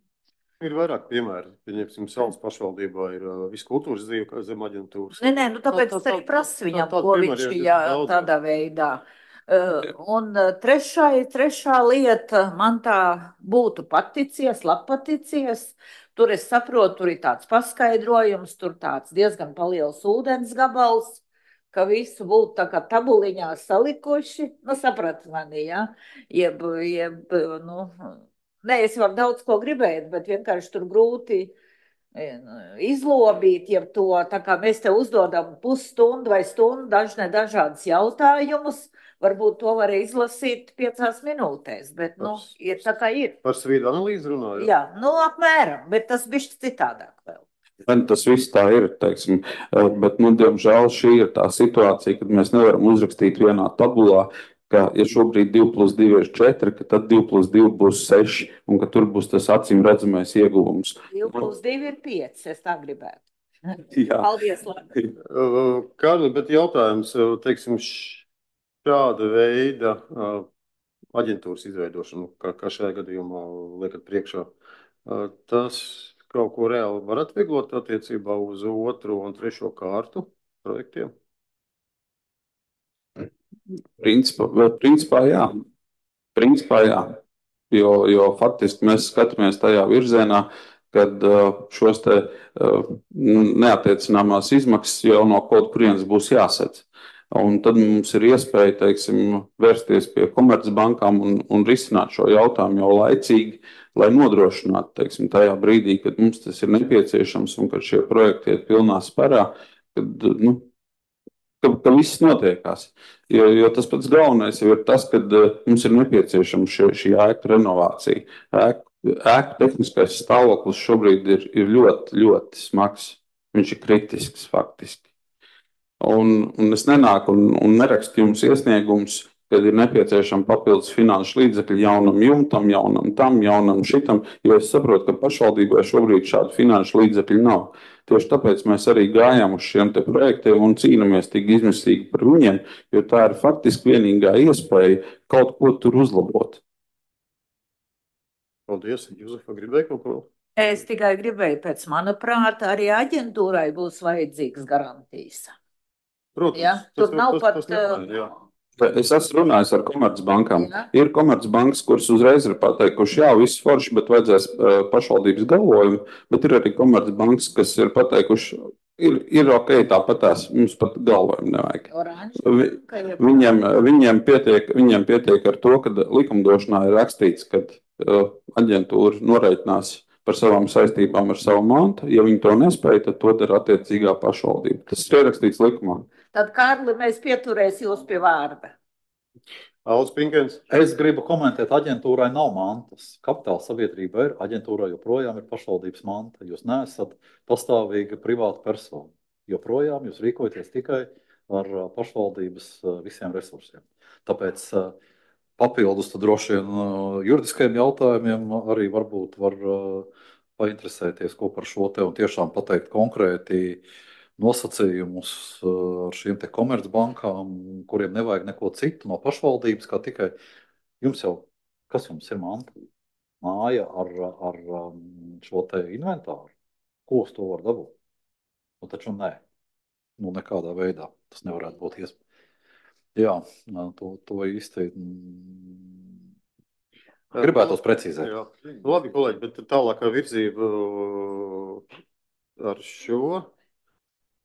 Ir vairāk piemēri. Pieņemsim, Saules pašvaldībā ir uh, viss kultūras dzīve, kā zem aģentūras. Nē, nē, nu tāpēc Tā- es tā- arī prasu viņam, tā- tā ko piemēri viņš ir jā, daudz. tādā veidā. Uh, un uh, trešai, trešā lieta, man tā būtu paticies, labpaticies. Tur es saprotu, tur ir tāds paskaidrojums, tur tāds diezgan paliels ūdens gabals, ka visu būtu tā kā tabuliņā salikuši. Nu, saprat mani, jā? Jeb, jeb, nu... Nē, es varu daudz ko gribēt, bet vienkārši tur grūti izlobīt, ja to, tā kā mēs te uzdodam pusstundu vai stundu dažne dažādas jautājumus, varbūt to var izlasīt piecās minūtēs, bet, nu, ir tā kā ir. Par svīdu analīzi runājot? Jā, nu, apmēram, bet tas bišķi citādāk vēl. Man tas viss tā ir, teiksim, bet, nu, diemžēl šī ir tā situācija, kad mēs nevaram uzrakstīt vienā tabulā, ka, ja šobrīd divi plus divi ir četri, ka tad divi plus divi būs seši, un ka tur būs tas acīm redzamais ieguvums. divi plus divi ir pieci, es tā gribētu. Jā. Paldies, labi. Kārli, bet jautājums, teiksim, šāda veida aģentūras izveidošanu, kā, kā šajā gadījumā liekat priekšā, tas kaut ko reāli var atvieglot attiecībā uz otro un trešo kārtu projektiem? Principā, principā jā. Principā jā. Jo, jo faktiski mēs skatāmies tajā virzienā, kad šos te neattiecināmās izmaksas jau no kaut kurienes būs jāsedz. Un tad mums ir iespēja, teiksim, vērsties pie komercbankām un, un risināt šo jautājumu jau laicīgi, lai nodrošinātu, teiksim, tajā brīdī, kad mums tas ir nepieciešams un kad šie projekti iet pilnā sparā, kad, nu, Ka, ka viss notiekās. Jo, jo tas pats galvenais jau ir tas, ka mums ir nepieciešama šī, šī ēku renovācija. Ēku, ēku tehniskais stāvoklis šobrīd ir, ir ļoti, ļoti smags. Viņš ir kritisks faktiski. Un, un es nenāku un, un nerakstu jums iesniegumus, kad ir nepieciešama papildus finanšu līdzekļi jaunam jumtam, jaunam tam, jaunam šitam, jo es saprotu, ka pašvaldībai šobrīd šādu finanšu līdzekļu nav. Tieši tāpēc mēs arī gājām uz šiem te projektiem un cīnāmies tik izmisīgi par viņiem, jo tā ir faktiski vienīgā iespēja kaut ko tur uzlabot. Paldies, Juzefa, gribēja kaut ko? Es tikai gribēju, pēc mana prāta, arī aģentūrai būs vajadzīgas garantijas. Protams. Ja? Tur tas, nav tas, pat... tas nepār, jā. Es esmu runājis ar komercbankām. Jā. Ir komercbankas, kuras uzreiz ir pateikuši, jā, viss forši, bet vajadzēs uh, pašvaldības galvojumu, bet ir arī komercbankas, kas ir pateikuši, ir, ir ok, tāpatās, mums pat galvojumu nevajag. Vi, viņiem, viņiem, pietiek, viņiem pietiek ar to, ka likumdošanā ir rakstīts, ka uh, aģentūra noreitinās par savām saistībām ar savu mantu. Ja viņi to nespēja, tad to dara attiecīgā pašvaldība. Tas ir ierakstīts likumā. Tad, Kārli, mēs pieturēs jūs pie vārda. Aldis Pinkens. Es gribu komentēt, aģentūrai nav mantas. Kapitāla sabiedrība ir, aģentūrai joprojām ir pašvaldības manta. Jūs neesat pastāvīga privāta persona. Joprojām jūs rīkojaties tikai ar pašvaldības visiem resursiem. Tāpēc papildus tad droši vien juridiskajiem jautājumiem arī varbūt var painteresēties, ko par šo te un tiešām pateikt konkrēti, nosacījumus ar šīm te komercbankām, kuriem nevajag neko citu no pašvaldības, kā tikai jums jau, kas jums ir manta? Māja ar, ar šo te inventāru. Ko uz to var dabūt? Nu, taču nē. Nu, nekādā veidā tas nevarētu būt iespējams. Jā, to, to īsti gribētos precīzēt. Jā. Labi, kolēģi, bet tālākā virzība ar šo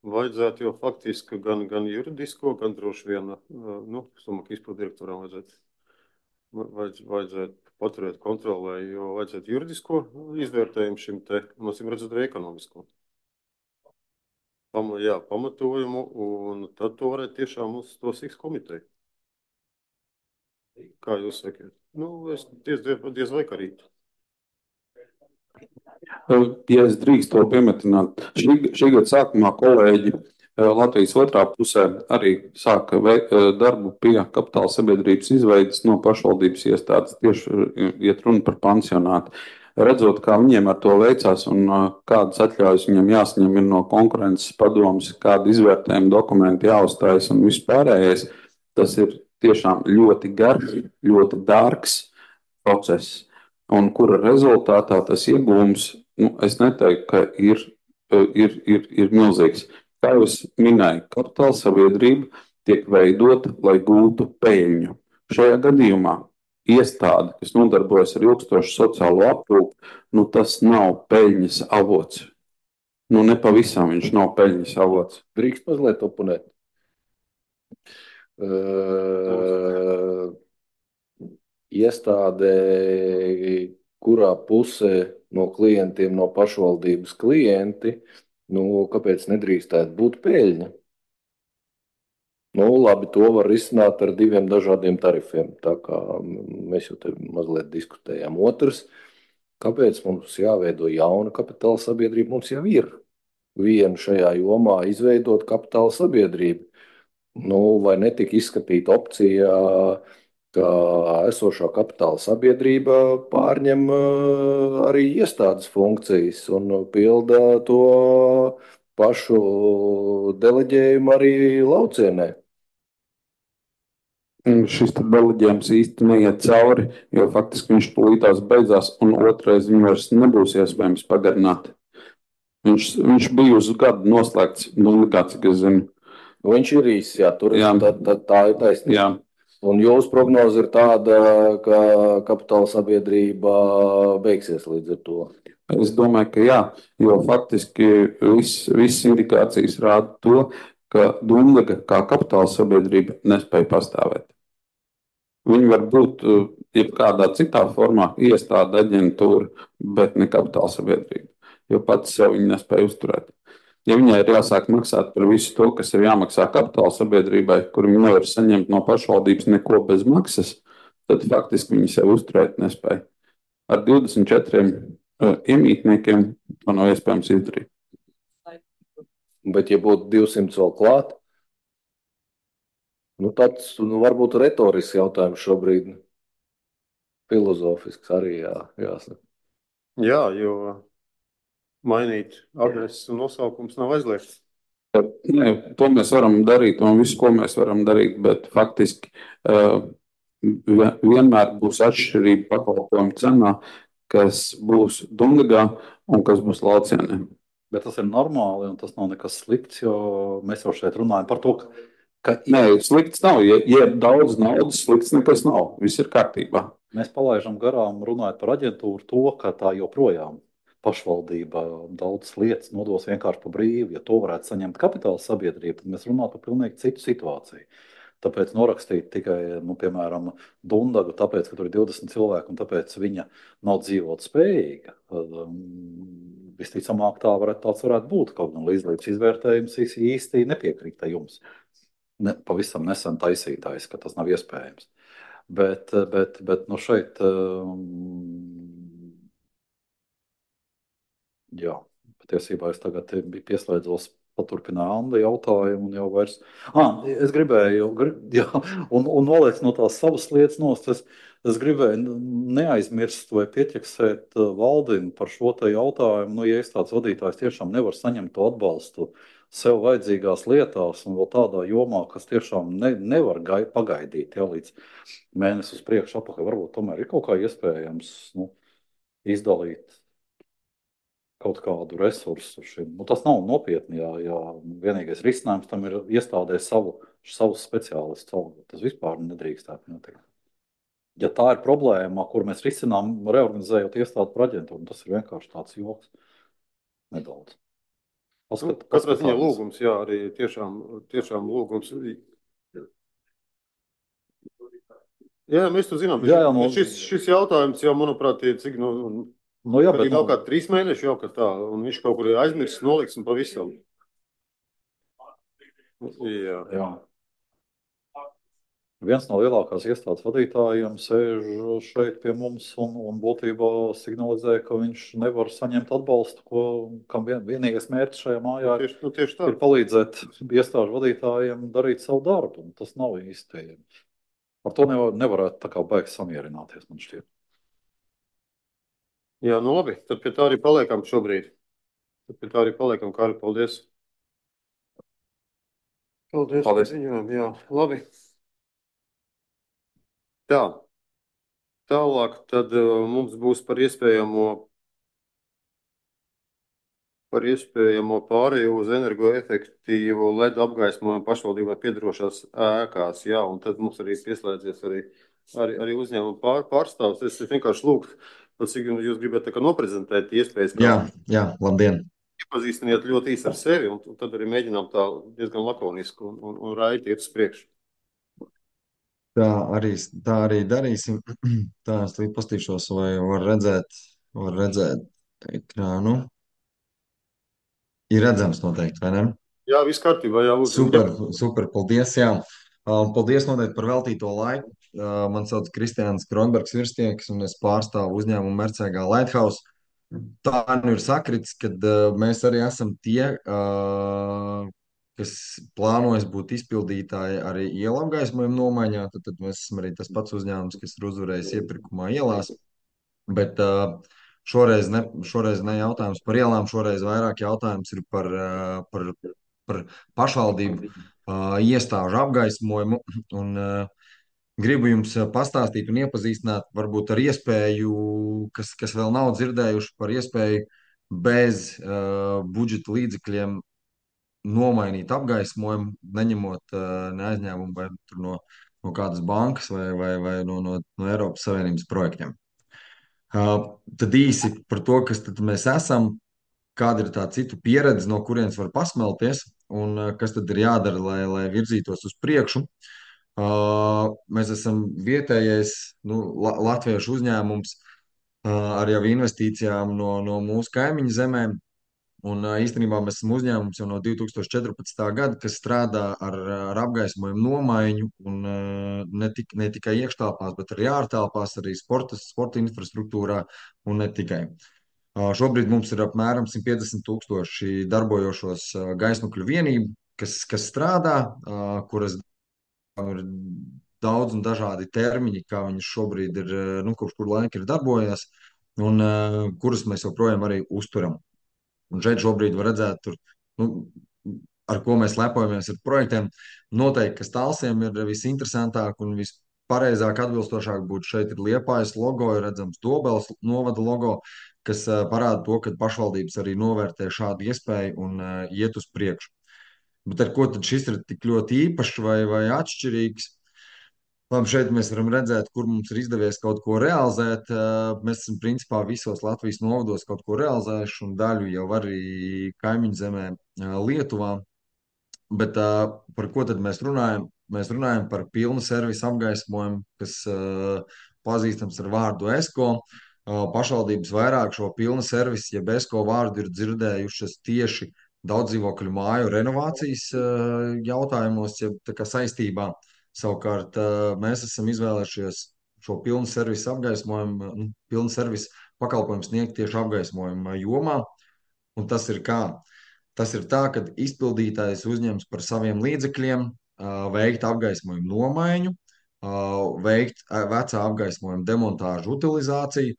vajadzētu jau faktiski gan, gan juridisko, gan droši vien, nu, es domāju, ka izpildu direktoram vajadzētu, vajadz, vajadzētu paturēt kontrolē, jo vajadzētu juridisko izvērtējumu šim te, mums ir redzēt arī ekonomisko. Pam, jā, pamatojumu, un tad to varētu tiešām uz to siks komiteju. Kā jūs sakiet? Nu, es diez, diez vai karīt. Ja es drīkst to piemetināt, šī, šī gada sākumā kolēģi Latvijas otrā pusē arī sāka darbu pie kapitāla sabiedrības izveidas no pašvaldības iestādes, tieši iet runa par pansionātu. Redzot, kā viņiem ar to veicās un kādas atļaujas viņam jāsaņem ir no konkurences padomas, kāda izvērtējuma dokumenti jāuzstājas un vispārējais, tas ir tiešām ļoti garš, ļoti dārgs process. Un kura rezultātā tas iegūms, nu, es neteiktu, ka ir, ir, ir, ir milzīgs. Kā jūs minēju, kapitāla sabiedrība tiek veidota, lai gūtu peļņu. Šajā gadījumā iestāde, kas nodarbojas ar ilgstošu sociālo aprūpi, nu tas nav peļņas avots. Nu nepavisam viņš nav peļņas avots. Drīkst mazliet oponēt. Uh, iestāde, kurā pusē no klientiem, no pašvaldības klienti, nu, kāpēc nedrīkstētu būt peļņa? Nu, labi, to var risināt ar diviem dažādiem tarifiem, tā kā mēs jau te mazliet diskutējām. Otrs, kāpēc mums jāveido jauna kapitāla sabiedrība? Mums jau ir viena šajā jomā izveidot kapitāla sabiedrību. Nu, vai netika izskatīta opcija, ka esošā kapitāla sabiedrība pārņem arī iestādes funkcijas un pilda to pašu deleģējumu arī laucienē. Šis deleģējums īsti neiet cauri, jo faktiski viņš tūlītās beidzās, un otrais viņu vairs nebūs iespējams pagarināt. Viņš, viņš bija uz gadu noslēgts, nu, likāt, cik es zinu. Viņš ir īsts, jā, tur jā. Tā, tā, tā ir taisnība. Jā. Un jūsu prognoze ir tāda, ka kapitāla sabiedrība beigsies līdz ar to. Es domāju, ka jā, jo faktiski viss, viss indikācijas rāda to, ka Dundaga kā kapitāla sabiedrība nespēja pastāvēt. Viņi var būt jebkādā citā formā iestāde, aģentūra, bet ne kapitāla sabiedrība, jo pats sev viņi nespēja uzturēt. Ja viņai ir jāsāk maksāt par visu to, kas ir jāmaksā kapitāla sabiedrībai, kur viņi nevar saņemt no pašvaldības neko bez maksas, tad faktiski viņi sev uzturēt nespēja. Ar divdesmit četriem uh, iemītniekiem to nav iespējams izdarīt. Bet ja būtu divsimt vēl klāt, nu tāds nu, varbūt retorisks jautājums šobrīd. Filozofisks arī jā, jāsaka. Jā, jo mainīt adreses un nosaukums nav aizliegts. Nē, to mēs varam darīt un visu, ko mēs varam darīt, bet faktiski uh, vienmēr būs atšķirība pakalpojumu cenā, kas būs Dundagā un kas būs laucienē. Bet tas ir normāli un tas nav nekas slikts, jo mēs jau šeit runājam par to, ka, ka Nē, slikts nav. Ja, ja ir daudz naudas, slikts nekas nav. Viss ir kārtībā. mēs palaidām garām runājot par aģentūru to, ka tā joprojām pašvaldība daudz lietas nodos vienkārši pa brīvu. Ja to varētu saņemt kapitāla sabiedrība, tad mēs runātu par pilnīgi citu situāciju. Tāpēc norakstīt tikai, nu, piemēram, Dundagu, tāpēc, ka tur ir divdesmit cilvēki un tāpēc viņa nav dzīvot spējīga. Visticamāk, tā varētu, tāds varētu būt. Kaut gan līdzlības izvērtējums īsti nepiekrīt jums. Ne, pavisam nesen taisītājs, ka tas nav iespējams. Bet, bet, bet nu šeit, jā, patiesībā es tagad biju pieslēdzos paturpināju Anda jautājumu un jau vairs. Ah, es gribēju, jā, un, un noliec no tās savas lietas nost, es, es gribēju neaizmirst vai pieķeksēt Valdinu par šo te jautājumu. Nu, ja iestādes vadītājs tiešām nevar saņemt to atbalstu sev vajadzīgās lietās un vēl tādā jomā, kas tiešām ne, nevar gai, pagaidīt ja, līdz mēnesi uz priekšu atpakaļ. Varbūt tomēr ir kaut kā iespējams nu, izdalīt kaut kādu resursu šim. Nu, tas nav nopietni, ja, ja vienīgais risinājums tam ir iestādē savu, savus speciālistus algot. Tas vispār nedrīkstētu notikt. Ja tā ir problēma, kur mēs risinām, reorganizējot iestādi par aģentūru, tas ir vienkārši tāds joks nedaudz. Nu, katrā ziņā lūgums, jā, arī tiešām, tiešām lūgums. Jā, mēs to zinām. Jā, jā, no... šis, šis jautājums jau, manuprāt, ir cik, nu, nu, jā, bet, nav nu... kā trīs mēneši jau, ka tā, un viņš kaut kur ir aizmirsis, noliks un pavisam. Jā. jā. Viens no lielākās iestādes vadītājiem sēž šeit pie mums un, un būtībā signalizē, ka viņš nevar saņemt atbalstu, ko, kam vien, vienīgais mērķis šajā mājā nu, tieši, nu, tieši tā. ir palīdzēt iestāžu vadītājiem darīt savu darbu, un tas nav īsti. Ar to nevar, nevarētu tā kā baigi samierināties, man šķiet. Jā, nu labi, tad pie tā arī paliekam šobrīd. Tad pie tā arī paliekam, Kāri, paldies. Paldies. Paldies. Ziņojam, jā, labi. Tā, tālāk tad uh, mums būs par iespējamo, par iespējamo pārēju uz energoefektīvu L E D apgaismojumu pašvaldībai piedarošās ēkās, jā, un tad mums arī pieslēdzies arī, arī, arī uzņēmuma pār, pārstāvs. Es vienkārši lūgtu, cik jūs gribētu tā kā noprezentēt iespējas. Jā, jā, labdien. Iepazīstiniet ļoti īsi ar sevi, un tad arī mēģinām tā diezgan lakoniski un, un, un raiti iet uz priekšu. Tā arī, tā arī darīsim. Tā es līdz pastīšos, vai var redzēt, var redzēt ekrānu. Ir redzams noteikti, vai ne? Jā, viss kārtībā, jā, lūdzu. Super, super, paldies, jā. Paldies noteikti par veltīto laiku. Man sauc Kristiāns Kronbergs Virstieks, un es pārstāvu uzņēmumu Mercēgā Lighthouse. Tā nu ir sakritis, kad mēs arī esam tie, kas plānojas būt izpildītāji arī ielu apgaismojumu nomaiņā, tad, tad mēs esam arī tas pats uzņēmums, kas ir uzvarējis iepirkumā ielās. Bet uh, šoreiz, ne, šoreiz ne jautājums par ielām, šoreiz vairāk jautājums ir par, uh, par, par pašvaldību uh, iestāžu apgaismojumu. Un, uh, gribu jums pastāstīt un iepazīstināt varbūt ar iespēju, kas, kas vēl nav dzirdējuši par iespēju bez uh, budžeta līdzekļiem nomainīt apgaismojumu, neņemot uh, neaizņēmumu vai no, no kādas bankas vai, vai, vai no, no, no Eiropas Savienības projektiem. Uh, tad īsi par to, kas tad mēs esam, kāda ir tā citu pieredze, no kurienes var pasmelties un uh, kas tad ir jādara, lai, lai virzītos uz priekšu. Uh, mēs esam vietējais nu, la, latviešu uzņēmums uh, ar jau investīcijām no, no mūsu kaimiņu zemēm. Un īstenībā mēs esam uzņēmums jau no divi tūkstoši četrpadsmitā gada, kas strādā ar, ar apgaismojumu nomaiņu un ne, tik, ne tikai iekštelpās, bet arī ārtelpās, arī sporta, sporta infrastruktūrā un ne tikai. Šobrīd mums ir apmēram simt piecdesmit tūkstoši darbojošos gaismokļu vienību, kas, kas strādā, kuras ir daudz un dažādi termiņi, kā viņas šobrīd ir, nu, kopš kur laika ir darbojies, un kurus mēs joprojām arī uzturam. Un šeit šobrīd var redzēt, tur, nu, ar ko mēs lepojamies ar projektiem. Noteikti, kas tālsiem ir visinteresantāk un vispareizāk atbilstošāk būtu šeit ir Liepājas logo, ir redzams Dobeles novada logo, kas uh, parāda to, ka pašvaldības arī novērtē šādu iespēju un uh, iet uz priekšu. Bet ar ko tad šis ir tik ļoti īpašs vai, vai atšķirīgs? Labi, šeit mēs varam redzēt, kur mums ir izdevies kaut ko realizēt. Mēs esam principā visos Latvijas novados kaut ko realizējuši, un daļu jau arī kaimiņu zemē Lietuvā. Bet par ko tad mēs runājam? Mēs runājam par pilnu servisu apgaismojumu, kas pazīstams ar vārdu ESCO. Pašvaldības vairāk šo pilnu servisu, jeb ESCO vārdu ir dzirdējušas tieši daudzdzīvokļu māju renovācijas jautājumos, jeb tā kā saistībā. Savukārt mēs esam izvēlējušies šo pilnu servisu apgaismojumu, nu, pilnu servisu pakalpojumu sniegt tieši apgaismojuma jomā. Un tas ir kā? Tas ir tā, ka izpildītājs uzņems par saviem līdzekļiem veikt apgaismojumu nomaiņu, veikt vecā apgaismojuma demontāžu utilizāciju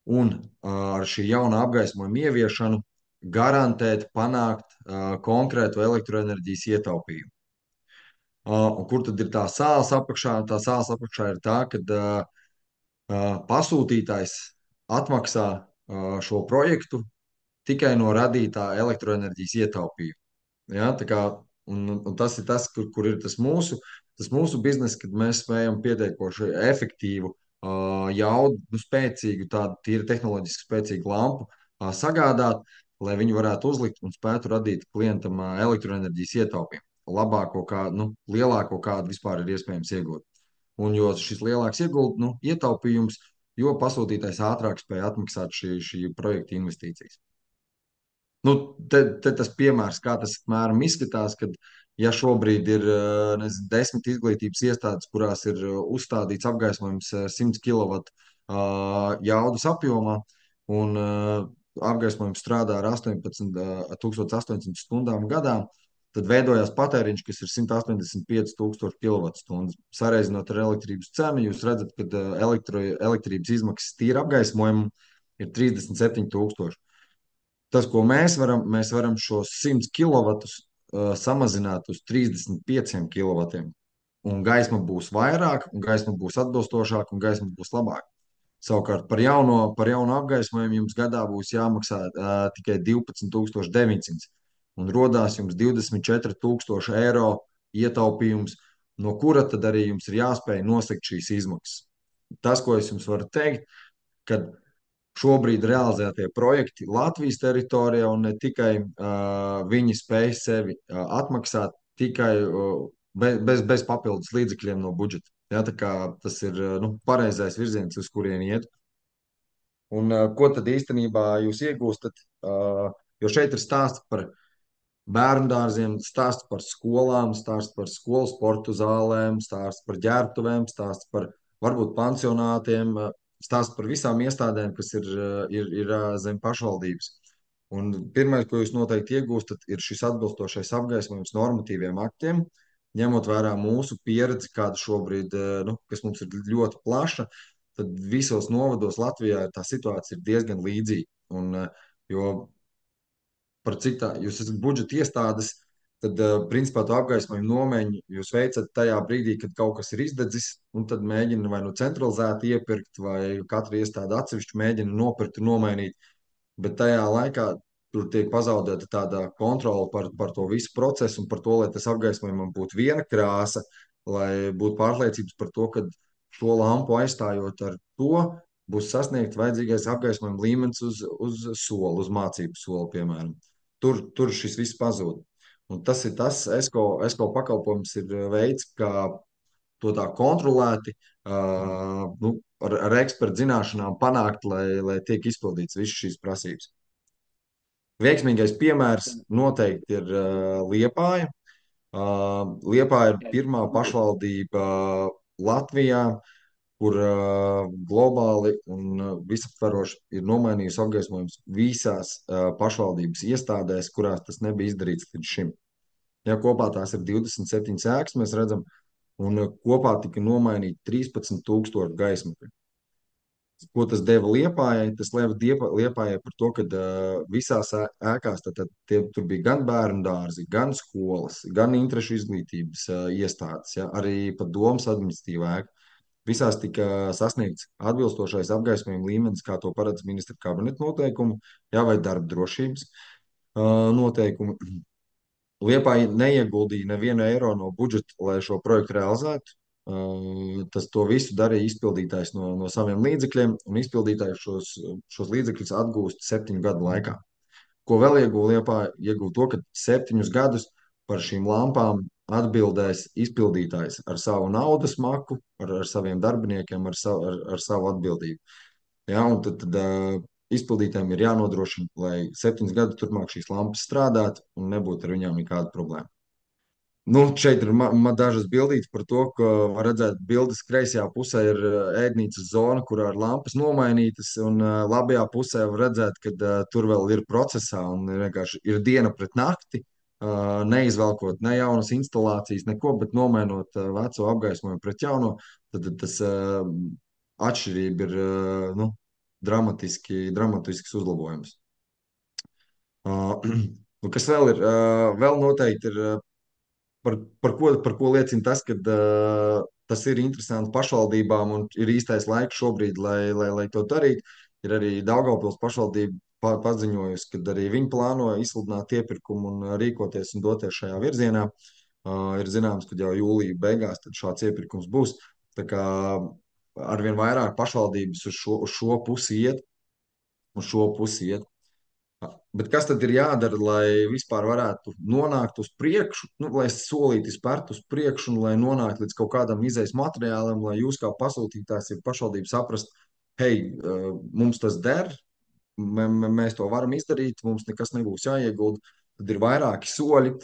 un ar šī jaunā apgaismojuma ieviešanu garantēt, panākt uh, konkrētu elektroenerģijas ietaupījumu. Uh, un kur tad ir tā sāls apakšā? Tā sāls apakšā ir tā, ka uh, uh, pasūtītājs atmaksā uh, šo projektu tikai no radītā elektroenerģijas ietaupījuma. Ja, tā kā, un, un tas ir tas, kur, kur ir tas mūsu, tas mūsu bizness, kad mēs spējam pietiekoši efektīvu, uh, jaudu, nu, spēcīgu, tādu tīri tehnoloģiski spēcīgu lampu uh, sagādāt, lai viņi varētu uzlikt un spētu radīt klientam uh, elektroenerģijas ietaupījumu. Labāko, kā, nu, lielāko, kādu vispār ir iespējams iegūt. Un jo šis lielāks ieguld, nu, ietaupījums, jo pasūtītājs ātrāk spēja atmaksāt šī, šī projekta investīcijas. Nu, te, te tas piemērs, kā tas apmēram izskatās, kad ja šobrīd ir eh, nezinu, desmit izglītības iestādes, kurās ir eh, uzstādīts apgaismojums eh, simts kilovatu uh, jaudas apjomā, un uh, apgaismojums strādā ar astoņpadsmit tūkstoši astoņsimt stundām gadā, tad veidojās patēriņš, kas ir simt astoņdesmit pieci tūkstoši kilovatstundas. Sareizinot ar elektrības cenu, jūs redzat, ka uh, elektro, elektrības izmaksas tīra apgaismojumam ir trīsdesmit septiņi tūkstoši. Tas, ko mēs varam, mēs varam šos simt kilovatus uh, samazināt uz trīsdesmit pieciem kilovatiem. Un gaisma būs vairāk, un gaisma būs atbilstošāka, un gaisma būs labāka. Savukārt par jauno, par jauno apgaismojumu jums gadā būs jāmaksā uh, tikai divpadsmit tūkstoši deviņsimt. Un rodās jums divdesmit četri tūkstoši eiro ietaupījums, no kura tad arī jums ir jāspēj nosegt šīs izmaksas. Tas, ko es jums varu teikt, kad šobrīd realizētie projekti Latvijas teritorijā, un ne tikai uh, viņi spēj sevi uh, atmaksāt tikai uh, bez, bez, bez papildus līdzekļiem no budžeta. Ja, tā kā tas ir uh, nu, pareizais virziens, uz kurien iet. Un uh, ko tad īstenībā jūs iegūstat? Uh, jo šeit ir stāsts par bērnu dārziem, stāsts par skolām, stāsts par skolu sporta zālēm, stāsts par ģērbtuvēm, stāsts par varbūt pansionātiem, stāsts par visām iestādēm, kas ir, ir, ir zem pašvaldības. Un pirmais, ko jūs noteikti iegūstat, ir šis atbilstošais apgaismojums normatīviem aktiem, ņemot vērā mūsu pieredzi, kāda šobrīd, nu, kas mums ir ļoti plaša, tad visos novados Latvijā tā situācija ir diezgan līdzīga. Un, jo par cik tā jūs esat budžeta iestādes, tad, principā, to apgaismojumu nomaiņu jūs veicat tajā brīdī, kad kaut kas ir izdedzis, un tad mēģina vai nu centralizēti iepirkt, vai katra iestāde atsevišķi mēģina nopirkt un nomainīt, bet tajā laikā tur tiek pazaudēta tāda kontrola par, par to visu procesu un par to, lai tas apgaismojumam būtu viena krāsa, lai būtu pārliecības par to, ka šo lampu aizstājot ar to, būs sasniegt vajadzīgais apgaismojuma līmenis uz, uz soli, uz mācību soli, piemēram. Tur, tur šis viss pazūd. Un tas ir tas, ESCO, ESCO pakalpojums ir veids, kā to tā kontrolēti, uh, nu, ar, ar ekspertu zināšanām panākt, lai, lai tiek izpildīts visas šīs prasības. Veiksmīgais piemērs noteikti ir uh, Liepāja. Uh, Liepāja ir pirmā pašvaldība Latvijā, kur uh, globāli un uh, visaptvaroši ir nomainījusi apgaismojums visās uh, pašvaldības iestādēs, kurās tas nebija izdarīts līdz šim. Ja kopā tās ir divdesmit septiņas ēkas, mēs redzam, un uh, kopā tika nomainīti trīspadsmit tūkstoši gaismakļu. Ko tas deva Liepājai? Tas deva Liepājai par to, ka uh, visās ēkās tad, tad, tie, tur bija gan bērnu dārzi, gan skolas, gan interešu izglītības uh, iestādes, ja, arī pat domas administratīvā ēka. Visās tika sasniegts atbilstošais apgaismojuma līmenis, kā to paredz ministra kabineta noteikumi, jā, vai darba drošības uh, noteikumi. Liepāja neieguldīja nevienu eiro no budžeta, lai šo projektu realizētu. Uh, tas to visu darīja izpildītājs no, no saviem līdzekļiem, un izpildītājs šos, šos līdzekļus atgūst septiņu gadu laikā. Ko vēl ieguva Liepāja? Ieguva to, ka septiņus gadus par šīm lampām atbildēs izpildītājs ar savu naudas maku, ar, ar saviem darbiniekiem, ar savu, ar, ar savu atbildību. Ja, un tad, tad uh, izpildītājiem ir jānodrošina, lai septiņus gadus turpmāk šīs lampas strādātu un nebūtu ar viņām nekāda problēma. Nu, šeit ir ma, ma dažas bildītes par to, ka var redzēt bildes kreisajā pusē ir ēdnīcas zona, kurā ir lampas nomainītas, un uh, labajā pusē var redzēt, ka uh, tur vēl ir procesā un vienkārši ir diena pret nakti, uh, neizvelkot ne jaunas instalācijas, neko, bet nomainot uh, veco apgaismojumu pret jauno, tad, tad tas uh, atšķirība ir uh, nu, dramatiski, dramatisks uzlabojums. Uh, un kas vēl ir? Uh, vēl noteikti ir, uh, par, par ko, par ko liecina tas, ka uh, tas ir interesanti pašvaldībām un ir īstais laiks šobrīd, lai, lai, lai to darītu. Ir arī Daugavpils pašvaldība pa- paziņojusi, ka arī viņi plāno izsludināt iepirkumu un uh, rīkoties un doties šajā virzienā. Uh, ir zināms, ka jau jūlija beigās tad šāds iepirkums būs. Tā kā arvien vairāk pašvaldības uz šo, uz šo pusi iet, uz šo pusi iet. Bet kas tad ir jādara, lai vispār varētu nonākt uz priekšu, nu, lai solīti spērtu uz priekšu un lai nonāktu līdz kaut kādam izejas materiālam, lai jūs kā pasūtītājs ir pašvaldība saprast, hei, uh, mums tas der, mē, mē- mēs to varam izdarīt, mums nekas nebūs jāiegulda, tad ir vairāki soļi.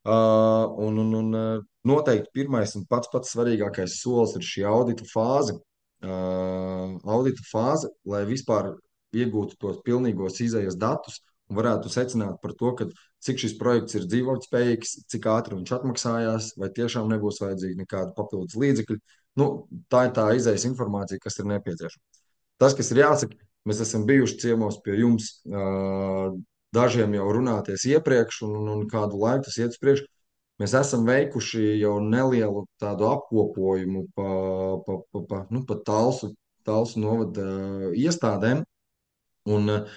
Uh, un, un, un uh, noteikti pirmais un pats pats svarīgākais solis ir šī audita fāze. Uh, audita fāze, lai vispār iegūtu tos pilnīgos izējas datus un varētu secināt par to, ka cik šis projekts ir dzīvotspējīgs, cik ātri viņš atmaksājās, vai tiešām nebūs vajadzīgi nekādi papildus līdzekļi. Nu, tā ir tā izējas informācija, kas ir nepieciešama. Tas, kas ir jāsaka, mēs esam bijuši ciemos pie jums, uh, dažiem jau runāties iepriekš, un, un kādu laiku tas iet uz priekšu. Mēs esam veikuši jau nelielu tādu apkopojumu pa, pa, pa, pa, nu, pa Talsu, Talsu novada uh, iestādēm. Un, uh,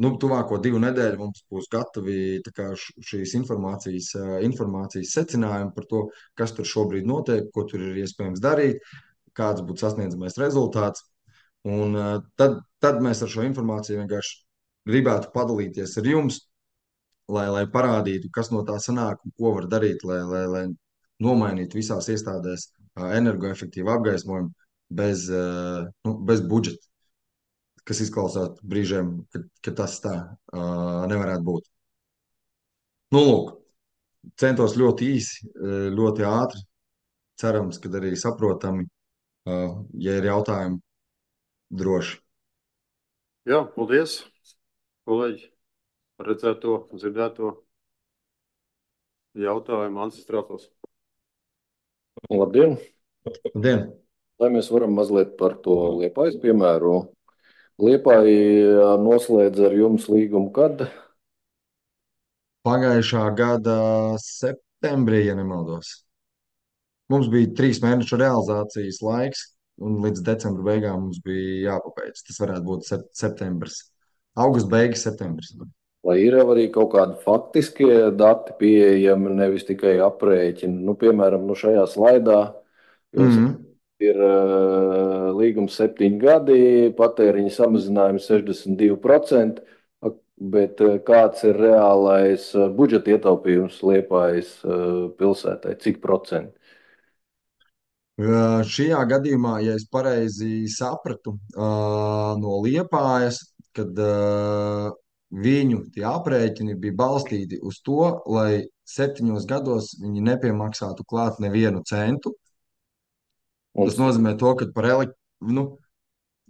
nu, tuvāko divu nedēļu mums būs gatavi tā kā, š- šīs informācijas, uh, informācijas secinājumi par to, kas tur šobrīd notiek, ko tur ir iespējams darīt, kāds būtu sasniedzamais rezultāts. Un, uh, tad, tad mēs ar šo informāciju vienkārši gribētu padalīties ar jums, lai, lai parādītu, kas no tā sanāk un ko var darīt, lai, lai, lai nomainītu visās iestādēs ā, energoefektīvu apgaismojumu bez, ā, nu, bez budžeta, kas izklausās brīžiem, ka, ka tas tā ā, nevarētu būt. Nu, lūk, centos ļoti īsi, ā, ļoti ātri, cerams, ka arī saprotami, ā, ja ir jautājumi, droši. Jā, paldies, kolēģi, par redzēto, dzirdēto jautājumu ancestrātos. Labdien! Labdien! Lai mēs varam mazliet par to Liepājas piemēru. Liepāja noslēdz ar jums līgumu kad? Pagājušā gada septembrī, ja nemaldos. Mums bija trīs mēnešu realizācijas laiks, un līdz decembra beigām mums bija jāpabeidz. Tas varētu būt sep- septembris. Augusts beigas, septembris. Vai ir jau arī kaut kādi faktiskie dati pieejami, nevis tikai aprēķini? Nu, piemēram, nu šajā slaidā jūs Mhm. ir uh, līgums septiņi gadi, patēriņa samazinājums sešdesmit divi procenti, ak- bet uh, kāds ir reālais uh, budžeta ietaupījums Liepājas uh, pilsētai? Cik procenti? Uh, Šajā gadījumā, ja es pareizi sapratu, uh, no Liepājas, kad uh, viņu tie aprēķini bija balstīti uz to, lai septiņos gados viņi nepiemaksātu klāt nevienu centu. Un Tas nozīmē to, ka par elektrību, nu,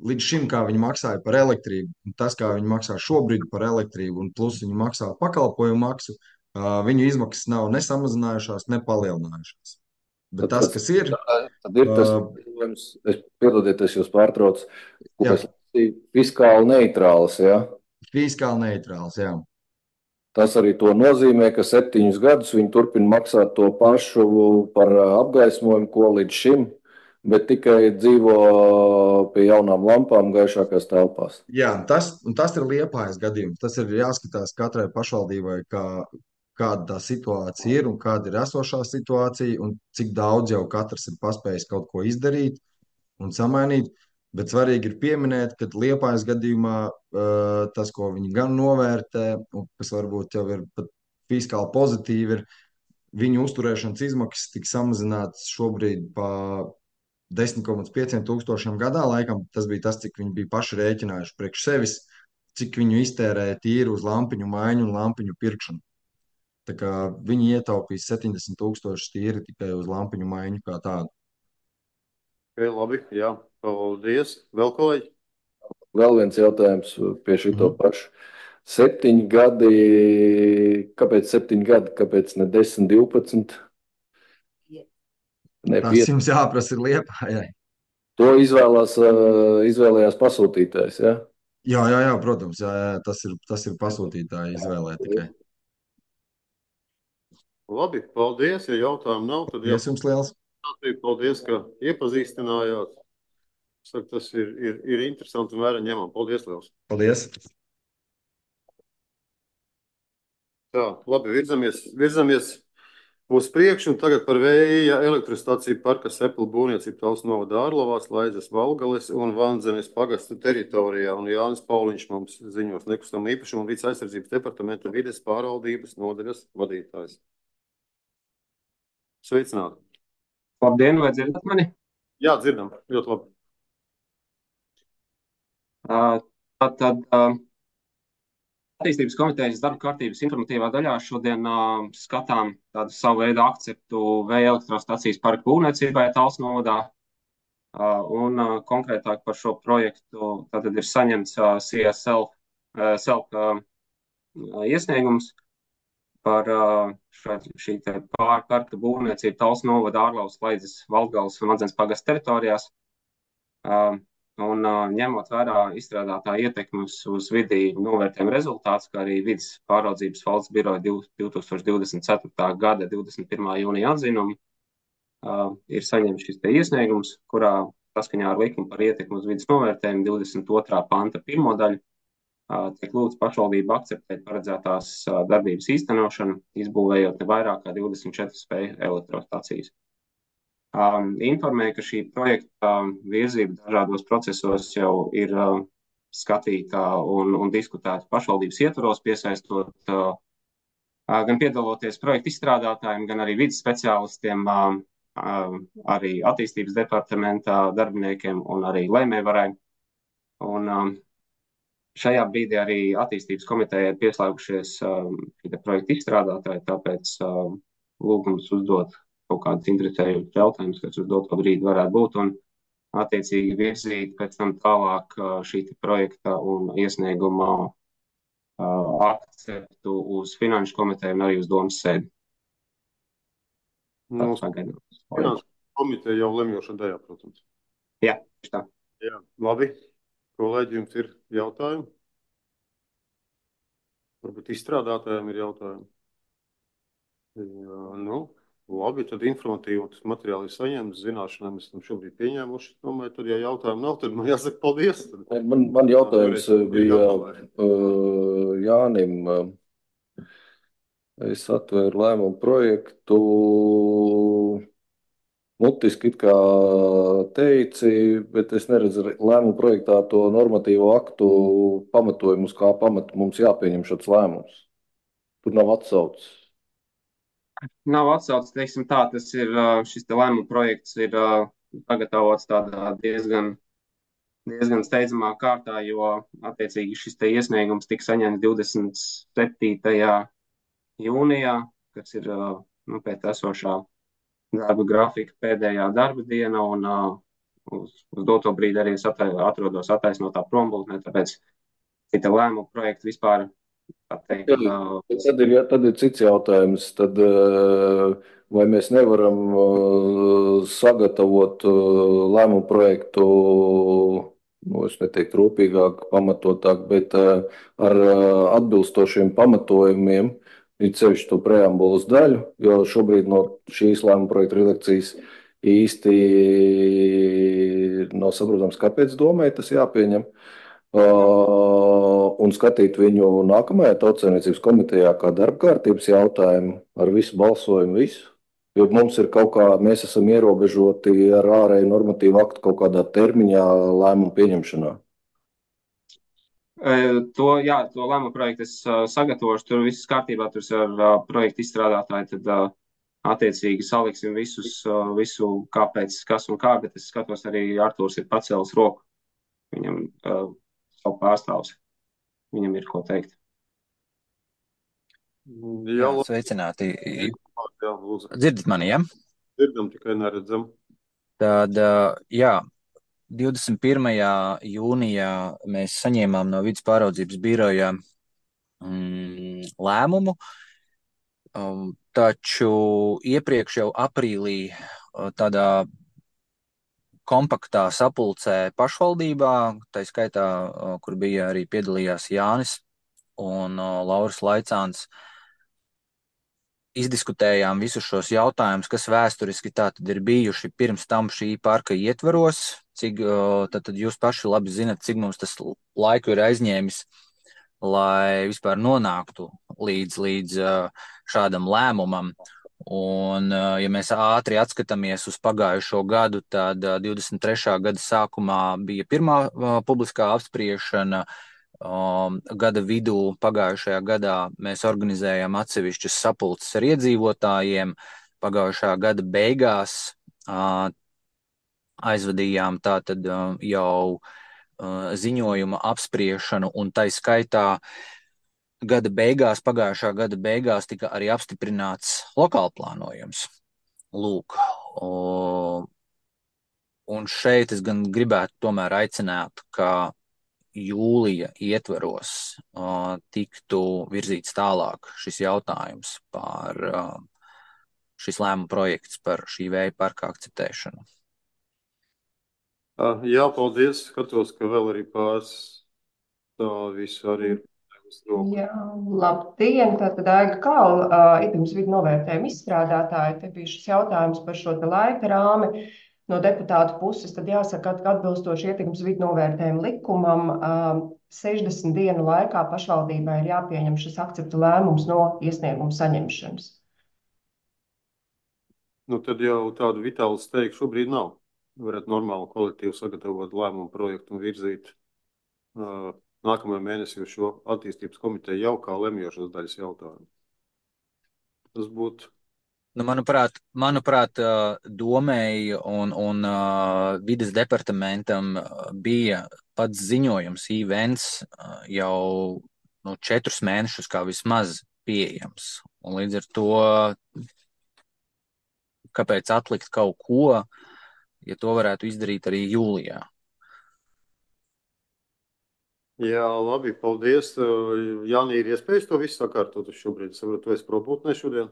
līdz šim, kā viņi maksāja par elektrību, un tas, kā viņi maksā šobrīd par elektrību, un plus viņi maksā pakalpojumu maksu, uh, viņu izmaksas nav ne samazinājušās, ne palielinājušās. Bet tad, tas, tas, kas ir, tad ir tas, uh, es piedodiet, es jūs pārtraucu, ko jā, es lasīju, fiskāli neitrāls, ja? fiskāli neitrāls, jā. Tas arī to nozīmē, ka septiņus gadus viņi turpina maksāt to pašu par apgaismojumu, ko līdz šim, bet tikai dzīvo pie jaunām lampām gaišākās telpās. Jā, tas, un tas ir Liepājas gadījums. Tas ir jāskatās katrai pašvaldībai, kā, kāda tā situācija ir un kāda ir esošā situācija un cik daudz jau katrs ir paspējis kaut ko izdarīt un samainīt. Bet svarīgi ir pieminēt, ka Liepājas gadījumā uh, tas, ko viņi gan novērtē, un kas varbūt jau ir pat fiskāli pozitīvi, ir viņu uzturēšanas izmaksas tika samazinātas šobrīd pa desmit komats pieci tūkstošiem gadā. Laikam tas bija tas, cik viņi bija paši rēķinājuši priekš sevis, cik viņu iztērēja tīri uz lampiņu maiņu un lampiņu pirkšanu. Tā kā viņi ietaupīs septiņdesmit tūkstošus tīri tikai uz lampiņu maiņu kā tādu. Okay, labi, jā, paldies. Vēl kolēģi? Vēl viens jautājums pie šito Mhm. pašu. Septiņi gadi, kāpēc septiņi gadi, kāpēc ne desmit, divpadsmit? Ne, Tas pieci. jums jāprasa ir Liepājai. To izvēlās, uh, izvēlējās pasūtītājs, ja? Jā, jā, jā, protams, jā, jā, tas ir, tas ir pasūtītāja izvēlē tikai. Labi, paldies. Ja jautājumu nav, tad jā, Paldies jums liels. paldies, ka iepazīstinājāt. Saku, tas ir, ir, ir interesanti un vērā ņemam. Paldies liels. Paldies. Tā, labi, virzamies, virzamies uz priekšu, un tagad par vēja elektrostaciju parka Seplu būvniecību Talsu novada Ārlavās, Laidzes Valgales un Vanzemes pagastu teritorijā. Un Jānis Pauliņš mums ziņos nekustamā īpašuma un vides aizsardzības departamenta vides pārvaldības nodaļas vadītājs. Sveicināti! Labdien, vai dzirdat mani? Jā, dzirdam, ļoti labi. Uh, Tātad uh, attīstības komitejas darba kārtības informatīvā daļā šodien uh, skatām tādu savu veidu akceptu vēja elektrostacijas parka būvniecībai Talsu novadā. Uh, un uh, konkrētāk par šo projektu tātad ir saņemts uh, C S L uh, self uh, iesniegums par uh, šo, šī te pārparka būvniecību Talsu novada Ārlavas, Laidzes, Valgales un Vanzemes pagasta teritorijās. Uh, Un uh, ņemot vērā izstrādātā ietekmes uz vidi novērtējuma rezultāts, kā arī vides pāraudzības valsts biroja divtūkstoš divdesmit ceturtā gada divdesmit pirmā jūnija atzinumu, uh, ir saņemts šis te iesniegums, kurā saskaņā ar likumu par ietekmi uz vides novērtējumu divdesmit otrā panta pirmo daļu uh, tiek lūgts pašvaldību akceptēt paredzētās uh, darbības īstenošanu, izbūvējot ne vairāk kā divdesmit četras spēju elektrostacijas. Um, informēja, ka šī projekta um, virzība dažādos procesos jau ir uh, skatīta un, un diskutēta pašvaldības ietvaros, piesaistot uh, uh, gan piedaloties projekta izstrādātājiem, gan arī vides speciālistiem, uh, uh, arī attīstības departamentā darbiniekiem un arī lēmējvarai. Un um, šajā brīdī arī attīstības komiteja ir pieslēgušies um, šī projekta izstrādātāji, tāpēc uh, lūgums uzdot kaut kādas interesējušas jautājumus, kas uz doto brīdi varētu būt, un attiecīgi virzīt pēc tam tālāk šī projekta un iesnieguma uh, akceptu uz finanšu komiteju un arī uz domas sēdi. Nu, finanšu komiteja jau lemjoša daļā, protams. Jā, tā. Jā, labi. Kolēģi, jums ir jautājumi? Varbūt izstrādātājiem ir jautājumi? Jā, nu... Labi, tad informatīvi tas materiāli ir saņemts, zināšanai mēs esam šobrīd pieņēmuši. Domāju, tad, ja jautājumu nav, tad man jāsaka paldies. Tad... Man, man jautājums bija uh, Jānim. Es atvēru lēmumu projektu. Mutiski it kā teici, bet es neredzu lēmumu projektā to normatīvo aktu pamatojumu, uz kā pamatu mums jāpieņem šāds lēmums. Tur nav atsaucis. Nav atsaucis, teiksim tā, tas ir, šis te lēmuma projekts ir pagatavots tādā diezgan, diezgan steidzamā kārtā, jo attiecīgi šis te iesniegums tika saņemts divdesmit septītajā jūnijā, kas ir nu, pēc esošā darba grafika pēdējā darba diena, un uz, uz doto brīdi arī es atrodos attaisnotā prombūtnē, tāpēc šī lēmuma projekta vispār Teikt, jā, tad, ir, ja, tad ir cits jautājums. Tad, vai mēs nevaram sagatavot lēmumu projektu, nu, es neteiktu rūpīgāk, pamatotāk, bet ar atbilstošiem pamatojumiem, it sevišķi to preambulas daļu, jo šobrīd no šīs lēmuma projekta redakcijas īsti nav saprotams, kāpēc domai tas jāpieņem. Uh, un skatīt viņu nākamajā Tautsaimniecības komitejā kā darba kārtības jautājumu ar visu balsojumu, visu. Jo mums ir kaut kā, mēs esam ierobežoti ar ārēju normatīvu aktu kaut kādā termiņā lēmumu pieņemšanā. E, to, jā, to lēmumu projektu es uh, sagatavošu, tur viss kārtībā, tur ar uh, projektu izstrādātāju, tad uh, attiecīgi saliksim visus, uh, visu kāpēc, kas un kā, bet es skatos arī Artūrs ir pacēlis roku. Viņam uh, savu pārstāvs. Viņam ir ko teikt. Jā, sveicināti. Dzirdat mani, ja? Dzirdam, tikai neredzam. Tad, jā, divdesmit pirmajā jūnijā mēs saņēmām no vides pāraudzības biroja mm, lēmumu, um, taču iepriekš jau aprīlī tādā kompaktā sapulcē pašvaldībā, tā skaitā, kur bija arī piedalījās Jānis un Lauris Laicāns. Izdiskutējām visus šos jautājumus, kas vēsturiski tātad ir bijuši pirms tam šī parka ietvaros, cik tātad jūs paši labi zinat, cik mums tas laiku ir aizņēmis, lai vispār nonāktu līdz, līdz šādam lēmumam. Un, ja mēs ātri atskatāmies uz pagājušo gadu, tad divdesmit trešā gada sākumā bija pirmā publiskā apspriešana. Um, gada vidū pagājušajā gadā mēs organizējām atsevišķas sapulces ar iedzīvotājiem. Pagājušā gada beigās uh, aizvadījām tātad uh, jau uh, ziņojuma apspriešanu, un tai skaitā gada beigās, pagājušā gada beigās tika arī apstiprināts lokālplānojums. Lūk, uh, un šeit es gan gribētu tomēr aicināt, ka jūlija ietveros uh, tiktu virzīts tālāk šis jautājums par uh, šis lēmuma projekts par šī vēja parka akceptēšanu. Uh, jā, paldies. Skatos, ka vēl arī pāris tā visu arī ir. Jā, labdien, tātad Aiga Kāla, uh, ietekmes vidu novērtējuma izstrādātāja. Te bija šis jautājums par šo te laika rāmi. No deputātu puses, tad jāsaka, ka atbilstoši ietekmes vidu novērtējuma likumam sešdesmit dienu laikā pašvaldībai ir jāpieņem šis akcepta lēmums no iesnieguma saņemšanas. Nu, tad jau tādu vitālu steigu šobrīd nav. Varētu normāli kolektīvu sagatavot lēmumu projektu un virzīt uh, nākamajā mēnesī uz šo attīstības komiteju jau kā lemjošas daļas jautājumu. Tas būtu. Nu, manuprāt, manuprāt, domēji un, un uh, vides departamentam bija pats ziņojums, events jau nu, četrus mēnešus kā vismaz pieejams. Un līdz ar to, kāpēc atlikt kaut ko, ja to varētu izdarīt arī jūlijā? Jā, labi, paldies. Jāni, ir iespējas to visu sakārtot uz šobrīd? Saprotu, tu esi probūtnē šodien?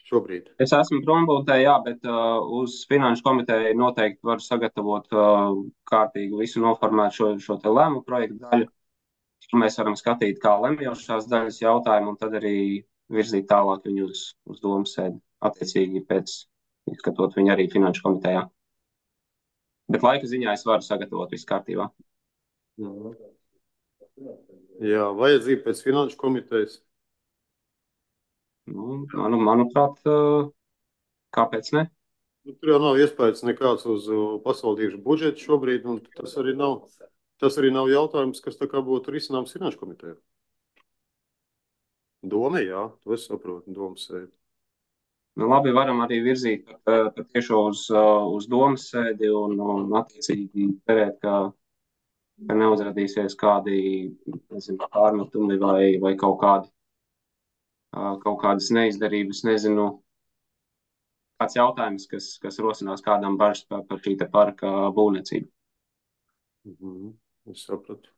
Šobrīd. Es esmu prombūtē, jā, bet uh, uz finanšu komiteju noteikti var sagatavot uh, kārtīgi visu noformēt šo, šo te lēmu projektu daļu. Mēs varam skatīt kā lemjošās daļas jautājumu un tad arī virzīt tālāk viņu uz, uz domu sēdi. Attiecīgi pēc izskatot viņu arī finanšu komitejā. Bet laika ziņā es varu sagatavot visu kārtībā. Jā, vajadzība pēc finanšu komitejas. Nu, manu, manuprāt, kāpēc ne? Tur jau nav iespējas nekāds uz pašvaldību budžetu šobrīd, un tas arī nav, tas arī nav jautājums, kas tā kā būtu risināms finanšu komitejā. Doma, jā, to es saprotu, domas sēdi. Nu, labi, varam arī virzīt tiešo uz, uz domas sēdi un, un attiecīgi cerēt, ka, ka neuzrādīsies kādi, nezinu, pārmetumi vai, vai kaut kādi kaut kādas neizdarības, nezinu, kāds jautājums, kas, kas rosinās kādam bažas par, par šī te parka būvniecību. Mhm, es sapratu.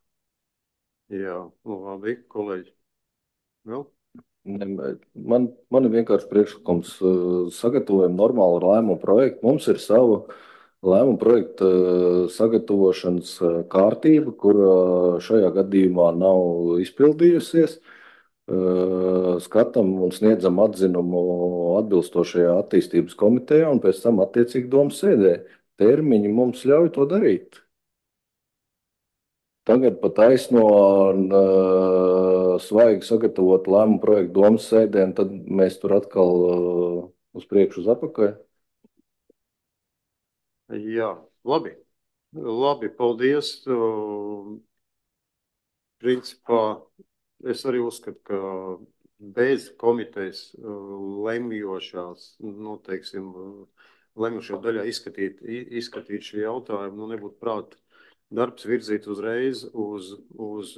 Jā, nu labi, kolēģi. Vēl? Man, man ir vienkārši priekšlikums sagatavojam normālu lēmumu projektu. Mums ir sava lēmumu projekta sagatavošanas kārtība, kur šajā gadījumā nav izpildījusies. Skatam un sniedzam atzinumu atbilstošajā attīstības komitejā un pēc tam attiecīgi domas sēdē. Termiņi mums ļauj to darīt. Tagad pat taisno uh, svaigi sagatavot lēmumu projektu domas sēdē, un tad mēs tur atkal uh, uz priekšu uz apakaļ. Jā, labi. Labi, paldies. Uh, principā es arī uzskatu, ka bez komitejas lemjošās, nu, teiksim, lemjošajā daļā izskatīt, izskatīt šī jautājuma, nu, nebūtu prāt darbs virzīt uzreiz uz, uz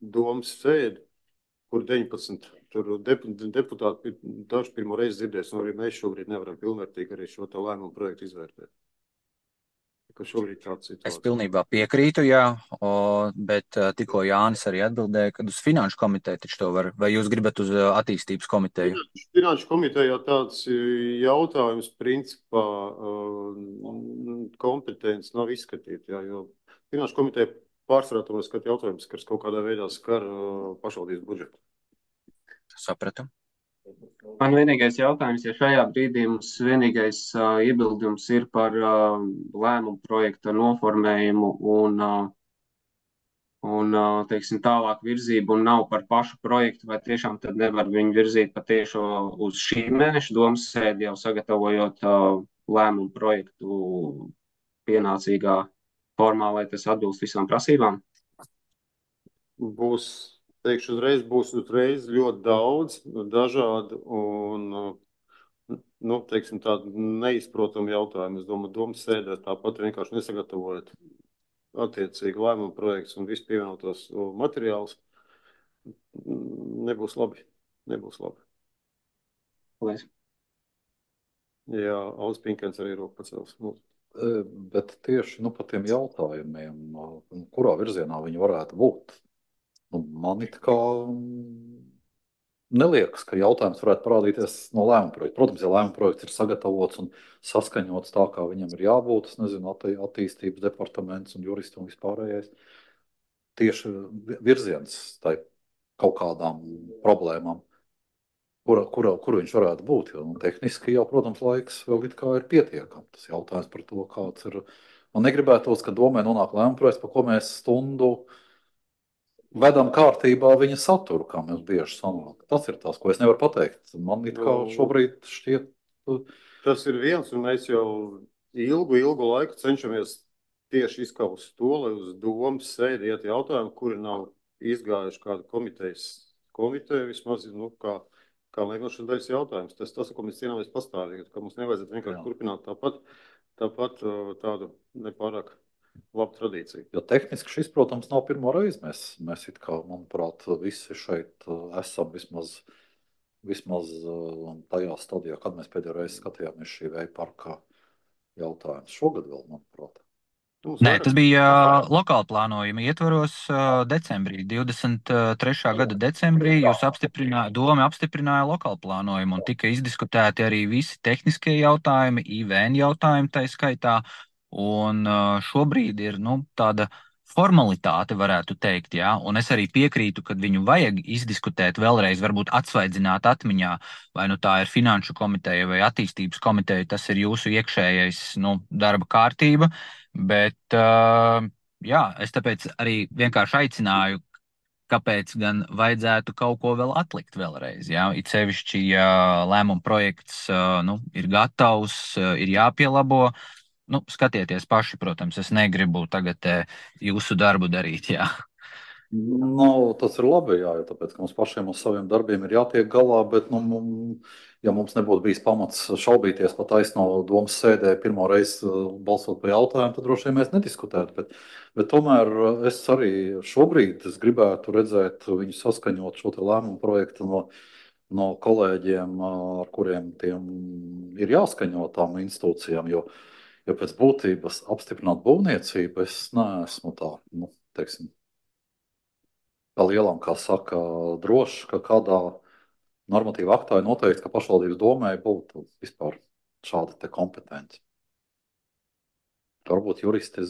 domas sēdi, kur deviņpadsmit tur deputāti daži pirmo reizi dzirdēs, un arī mēs šobrīd nevaram pilnvērtīgi arī šo tā lēmumu projektu izvērtēt. Es pilnībā piekrītu, jā, o, bet tikko Jānis arī atbildēja, kad uz finanšu komiteju taču to var, vai jūs gribat uz attīstības komiteju? Finanšu komitejā tāds jautājums, principā, kompetence nav izskatīta, jā, jo Finanšu komiteja pārsvarā tomēr skata jautājums, kas kaut kādā veidā skar uh, pašvaldības budžetu. Sapratu. Man vienīgais jautājums, ja šajā brīdī mums vienīgais uh, iebildums ir par uh, lēmumu projekta noformējumu un, uh, un uh, teiksim, tālāk virzību un nav par pašu projektu, vai tiešām tad nevar viņu virzīt patiešo uz šī mēneša domas sēdi, jau sagatavojot uh, lēmumu projektu pienācīgā formā, lai tas atbilst visām prasībām? Būs, teikšu uzreiz, būs uzreiz ļoti daudz dažādu un, nu, teiksim, tādu neizprotamu jautājumu. Es domāju, domas sēdē tāpat vienkārši nesagatavojot attiecīgi lēmumu projekts un visu pievienotos materiālus. Nebūs labi. Nebūs labi. Paldies. Jā, Aldis Pinkens arī roku pacels. Bet tieši nu, par tiem jautājumiem, kurā virzienā viņi varētu būt, nu, man it kā neliekas, ka jautājums varētu parādīties no lēmuma projekta. Protams, ja lēmuma projekts ir sagatavots un saskaņots tā, kā viņam ir jābūt, es nezinu, attī, attīstības departaments un juristi un vispārējais, tieši virziens tai kaut kādām problēmām, Kura, kura, kura viņš varētu būt. Jo, nu, tehniski jau, protams, laiks vēl it kā ir pietiekams. Tas jautājums par to, kāds ir. Man negribētos, ka domē nonāk lēmuma projekts, par ko mēs stundu vedam kārtībā viņa saturu, kā mēs bieži sanāk. Tas ir tas, ko es nevaru pateikt. Man it kā šobrīd šķiet. Tas ir viens, un mēs jau ilgu, ilgu laiku cenšamies tieši izkaust to, lai uz domas sēdi iet jautājumi, kuri nav izgājuši kādu komitejas komiteju, vismaz, nu, kā Kā liekušas daļas jautājums. Tas tas, ko mēs cīnāmies pastāvīgi, ka mums nevajadzētu vienkārši Jā. turpināt tāpat, tāpat tādu nepārāk labu tradīciju. Jo tehniski šis, protams, nav pirmo reizi. Mēs, mēs it kā, manuprāt, visi šeit esam vismaz, vismaz tajā stadijā, kad mēs pēdējo reizi skatījāmies šī vēja parka jautājums. Šogad vēl, manuprāt. Nē, tas bija lokāla plānojuma ietvaros decembrī, divdesmit trešā gada decembrī. Jūs apstiprinājāt, doma apstiprināja lokālu plānojumu un tika izdiskutēti arī visi tehniskie jautājumi, I V N jautājumi tai skaitā. Un šobrīd ir nu, tāda formalitāte, varētu teikt, jā. Un es arī piekrītu, ka viņu vajag izdiskutēt vēlreiz, varbūt atsvaidzināt atmiņā, vai nu tā ir finanšu komiteja vai attīstības komiteja, tas ir jūsu iekšējais nu, darba kārtība. Bet jā, es tāpēc arī vienkārši aicināju, kāpēc gan vajadzētu kaut ko vēl atlikt vēlreiz. Jā? It sevišķi, ja lēmuma projekts nu, ir gatavs, ir jāpielabo. Nu, skatieties paši, protams, es negribu tagad jūsu darbu darīt. Jā. Nu, tas ir labi, jā, tāpēc, ka mums pašiem uz saviem darbiem ir jātiek galā, bet, nu, ja mums nebūtu bijis pamats šaubīties pat taisno domas sēdē pirmo reizi balsot par jautājumu, tad droši vien mēs nediskutētu, bet, bet tomēr es arī šobrīd es gribētu redzēt viņu saskaņot šo te lēmumu projektu no, no kolēģiem, ar kuriem tiem ir jāskaņo tām institūcijām, jo, jo pēc būtības apstiprināt būvniecību es neesmu tā, nu, teiksim, kā lielam, kā saka, droši, ka kādā normatīva aktā ir noteikti, ka pašvaldības domē būtu vispār šāda te kompetence. Varbūt juristi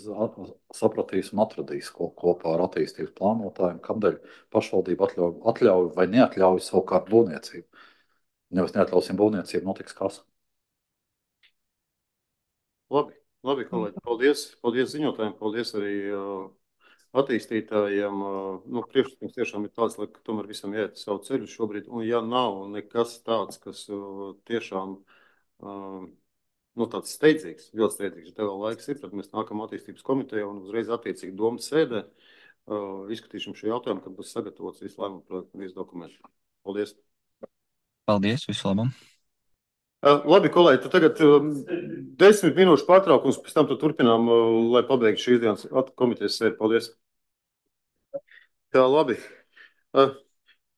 sapratīs un atradīs ko, kopā ar attīstības plānotājiem, kādēļ pašvaldība atļauj, atļauj vai neatļauj savukārt būvniecību. Ja mēs neatļausim būvniecību, notiks kas. Labi, labi, kolēģi, paldies, paldies ziņotājiem, paldies arī uh, attīstītājiem, nu, priekšlikums tiešām ir tāds, lai tomēr visam iet savu ceļu šobrīd, un ja nav nekas tāds, kas tiešām, nu, tāds steidzīgs, ļoti steidzīgs, ja tev vēl laiks ir, tad mēs nākam attīstības komiteja un uzreiz attiecīgi domas sēdē izskatīšam šo jautājumu, kad būs sagatavots visu lēmumu projektu un visu dokumentu. Paldies! Paldies, visu labu! Labi, kolēģi, tad tagad desmit minūšu pārtraukums, pēc tam turpinām, lai pabeigtu šīs dienas komitejas sēdi. Paldies. Tā, labi.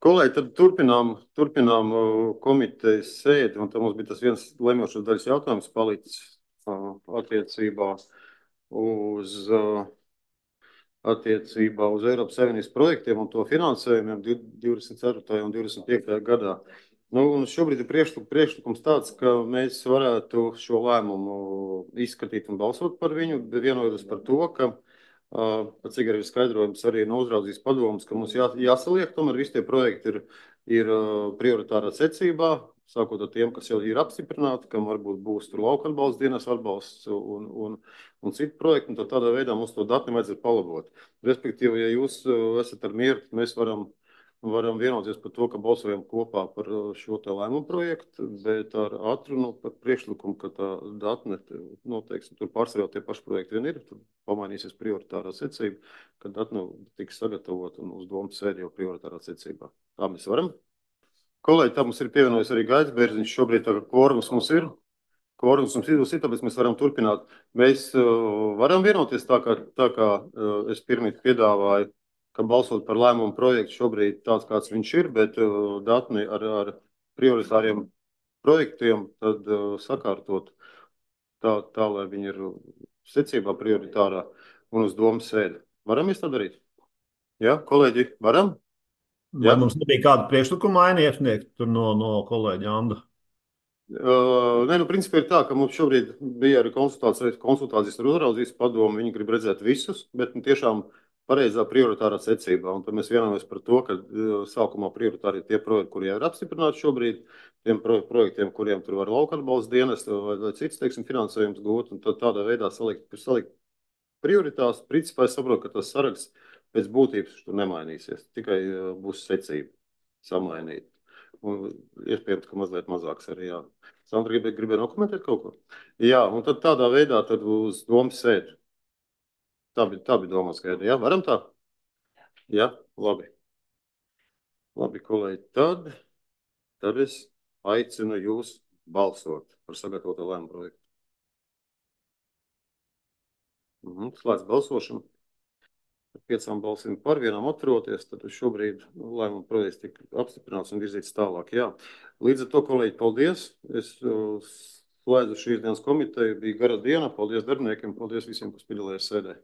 Kolēģi, tad turpinām, turpinām komitejas sēdi, un tad mums bija tas viens lemjošas daļas jautājums palicis attiecībā uz, attiecībā uz Eiropas Savienības projektiem un to finansējumiem divdesmit ceturtajā un divdesmit piektajā gadā. Nu, un šobrīd ir priekšlik, priekšlikums tāds, ka mēs varētu šo lēmumu izskatīt un balsot par viņu, vienojoties par to, ka, uh, cik arī ir skaidrojums arī no uzraudzības padomas, ka mums jā, jāsaliek, tomēr visi tie projekti ir, ir uh, prioritārā secībā, sākot ar tiem, kas jau ir apstiprināti, kam varbūt būs tur lauka atbalsts, dienas atbalsts un, un, un citu projektu, un tad tādā veidā mums to datu nevajadzētu palabot. Respektīvi, ja jūs uh, esat ar mieru, mēs varam varam vienoties par to, ka balsojam kopā par šo te lēmumu projektu, bet ar atrunu par priekšlikumu, ka tā datne, noteikti, tur pārsvarā tie paši projekti vien ir, tur pamainīsies prioritārā secība, ka datne tiks sagatavot un uz domu sēdi jau prioritārā secībā. Tā mēs varam. Kolēģi, tā mums ir pievienojis arī Gaits Bērziņš, šobrīd tā kvorums mums ir. Kvorums mums ir, tāpēc mēs varam turpināt. Mēs uh, varam vienoties tā, kā, tā kā uh, es pirmīt piedāvāju, ka balsot par lēmumu projektu šobrīd tāds, kāds viņš ir, bet uh, datni ar, ar prioritāriem projektiem tad uh, sakārtot tā, tā, lai viņi ir secībā prioritārā un uz domu sēdi. Varam mēs tā darīt? Jā, kolēģi, varam? Vai Jā. Mums nebija kāda priekšlikuma aina iesniegt tur no, no kolēģa Anda? Uh, nē, nu, principā ir tā, ka mums šobrīd bija arī konsultācijas, konsultācijas ar uzraudzības padomu, viņi grib redzēt visus, bet nu, tiešām pareizā prioritārā secībā. Un tad mēs vienojamies par to, ka uh, sākumā prioritāri ir tie projekti, kuri jau ir apstiprināti šobrīd, tiem pro projektiem, kuriem tur var lauka atbalsts dienas vai, vai cits, teiksim, finansējums gūt, un tad tādā veidā salikt, salikt prioritās. Principā es saprotu, ka tas saraksts pēc būtības tur nemainīsies, tikai uh, būs secība samainīt. Un iespējams, ka mazliet mazāks arī, jā. Sandra gribēja gribē nokomentēt kaut ko? Jā, un tad tādā veidā tad uz domu sēdi. Tā bija, tā bija domā skaidra. Jā, varam tā? Jā, labi. Labi, kolēģi, tad, tad es aicinu jūs balsot par sagatavotu lēmumu projektu. Mhm, slēdz balsošanu. Ar piecām balsīm par vienām atturoties, tad šobrīd lēmumu projekts tika apstiprināts un virzīts tālāk. Jā. Līdz ar to, kolēģi, paldies. Es uh, slēdzu šīs dienas komiteju. Bija gara diena. Paldies darbiniekiem. Paldies visiem, kas piedalījās sēdē.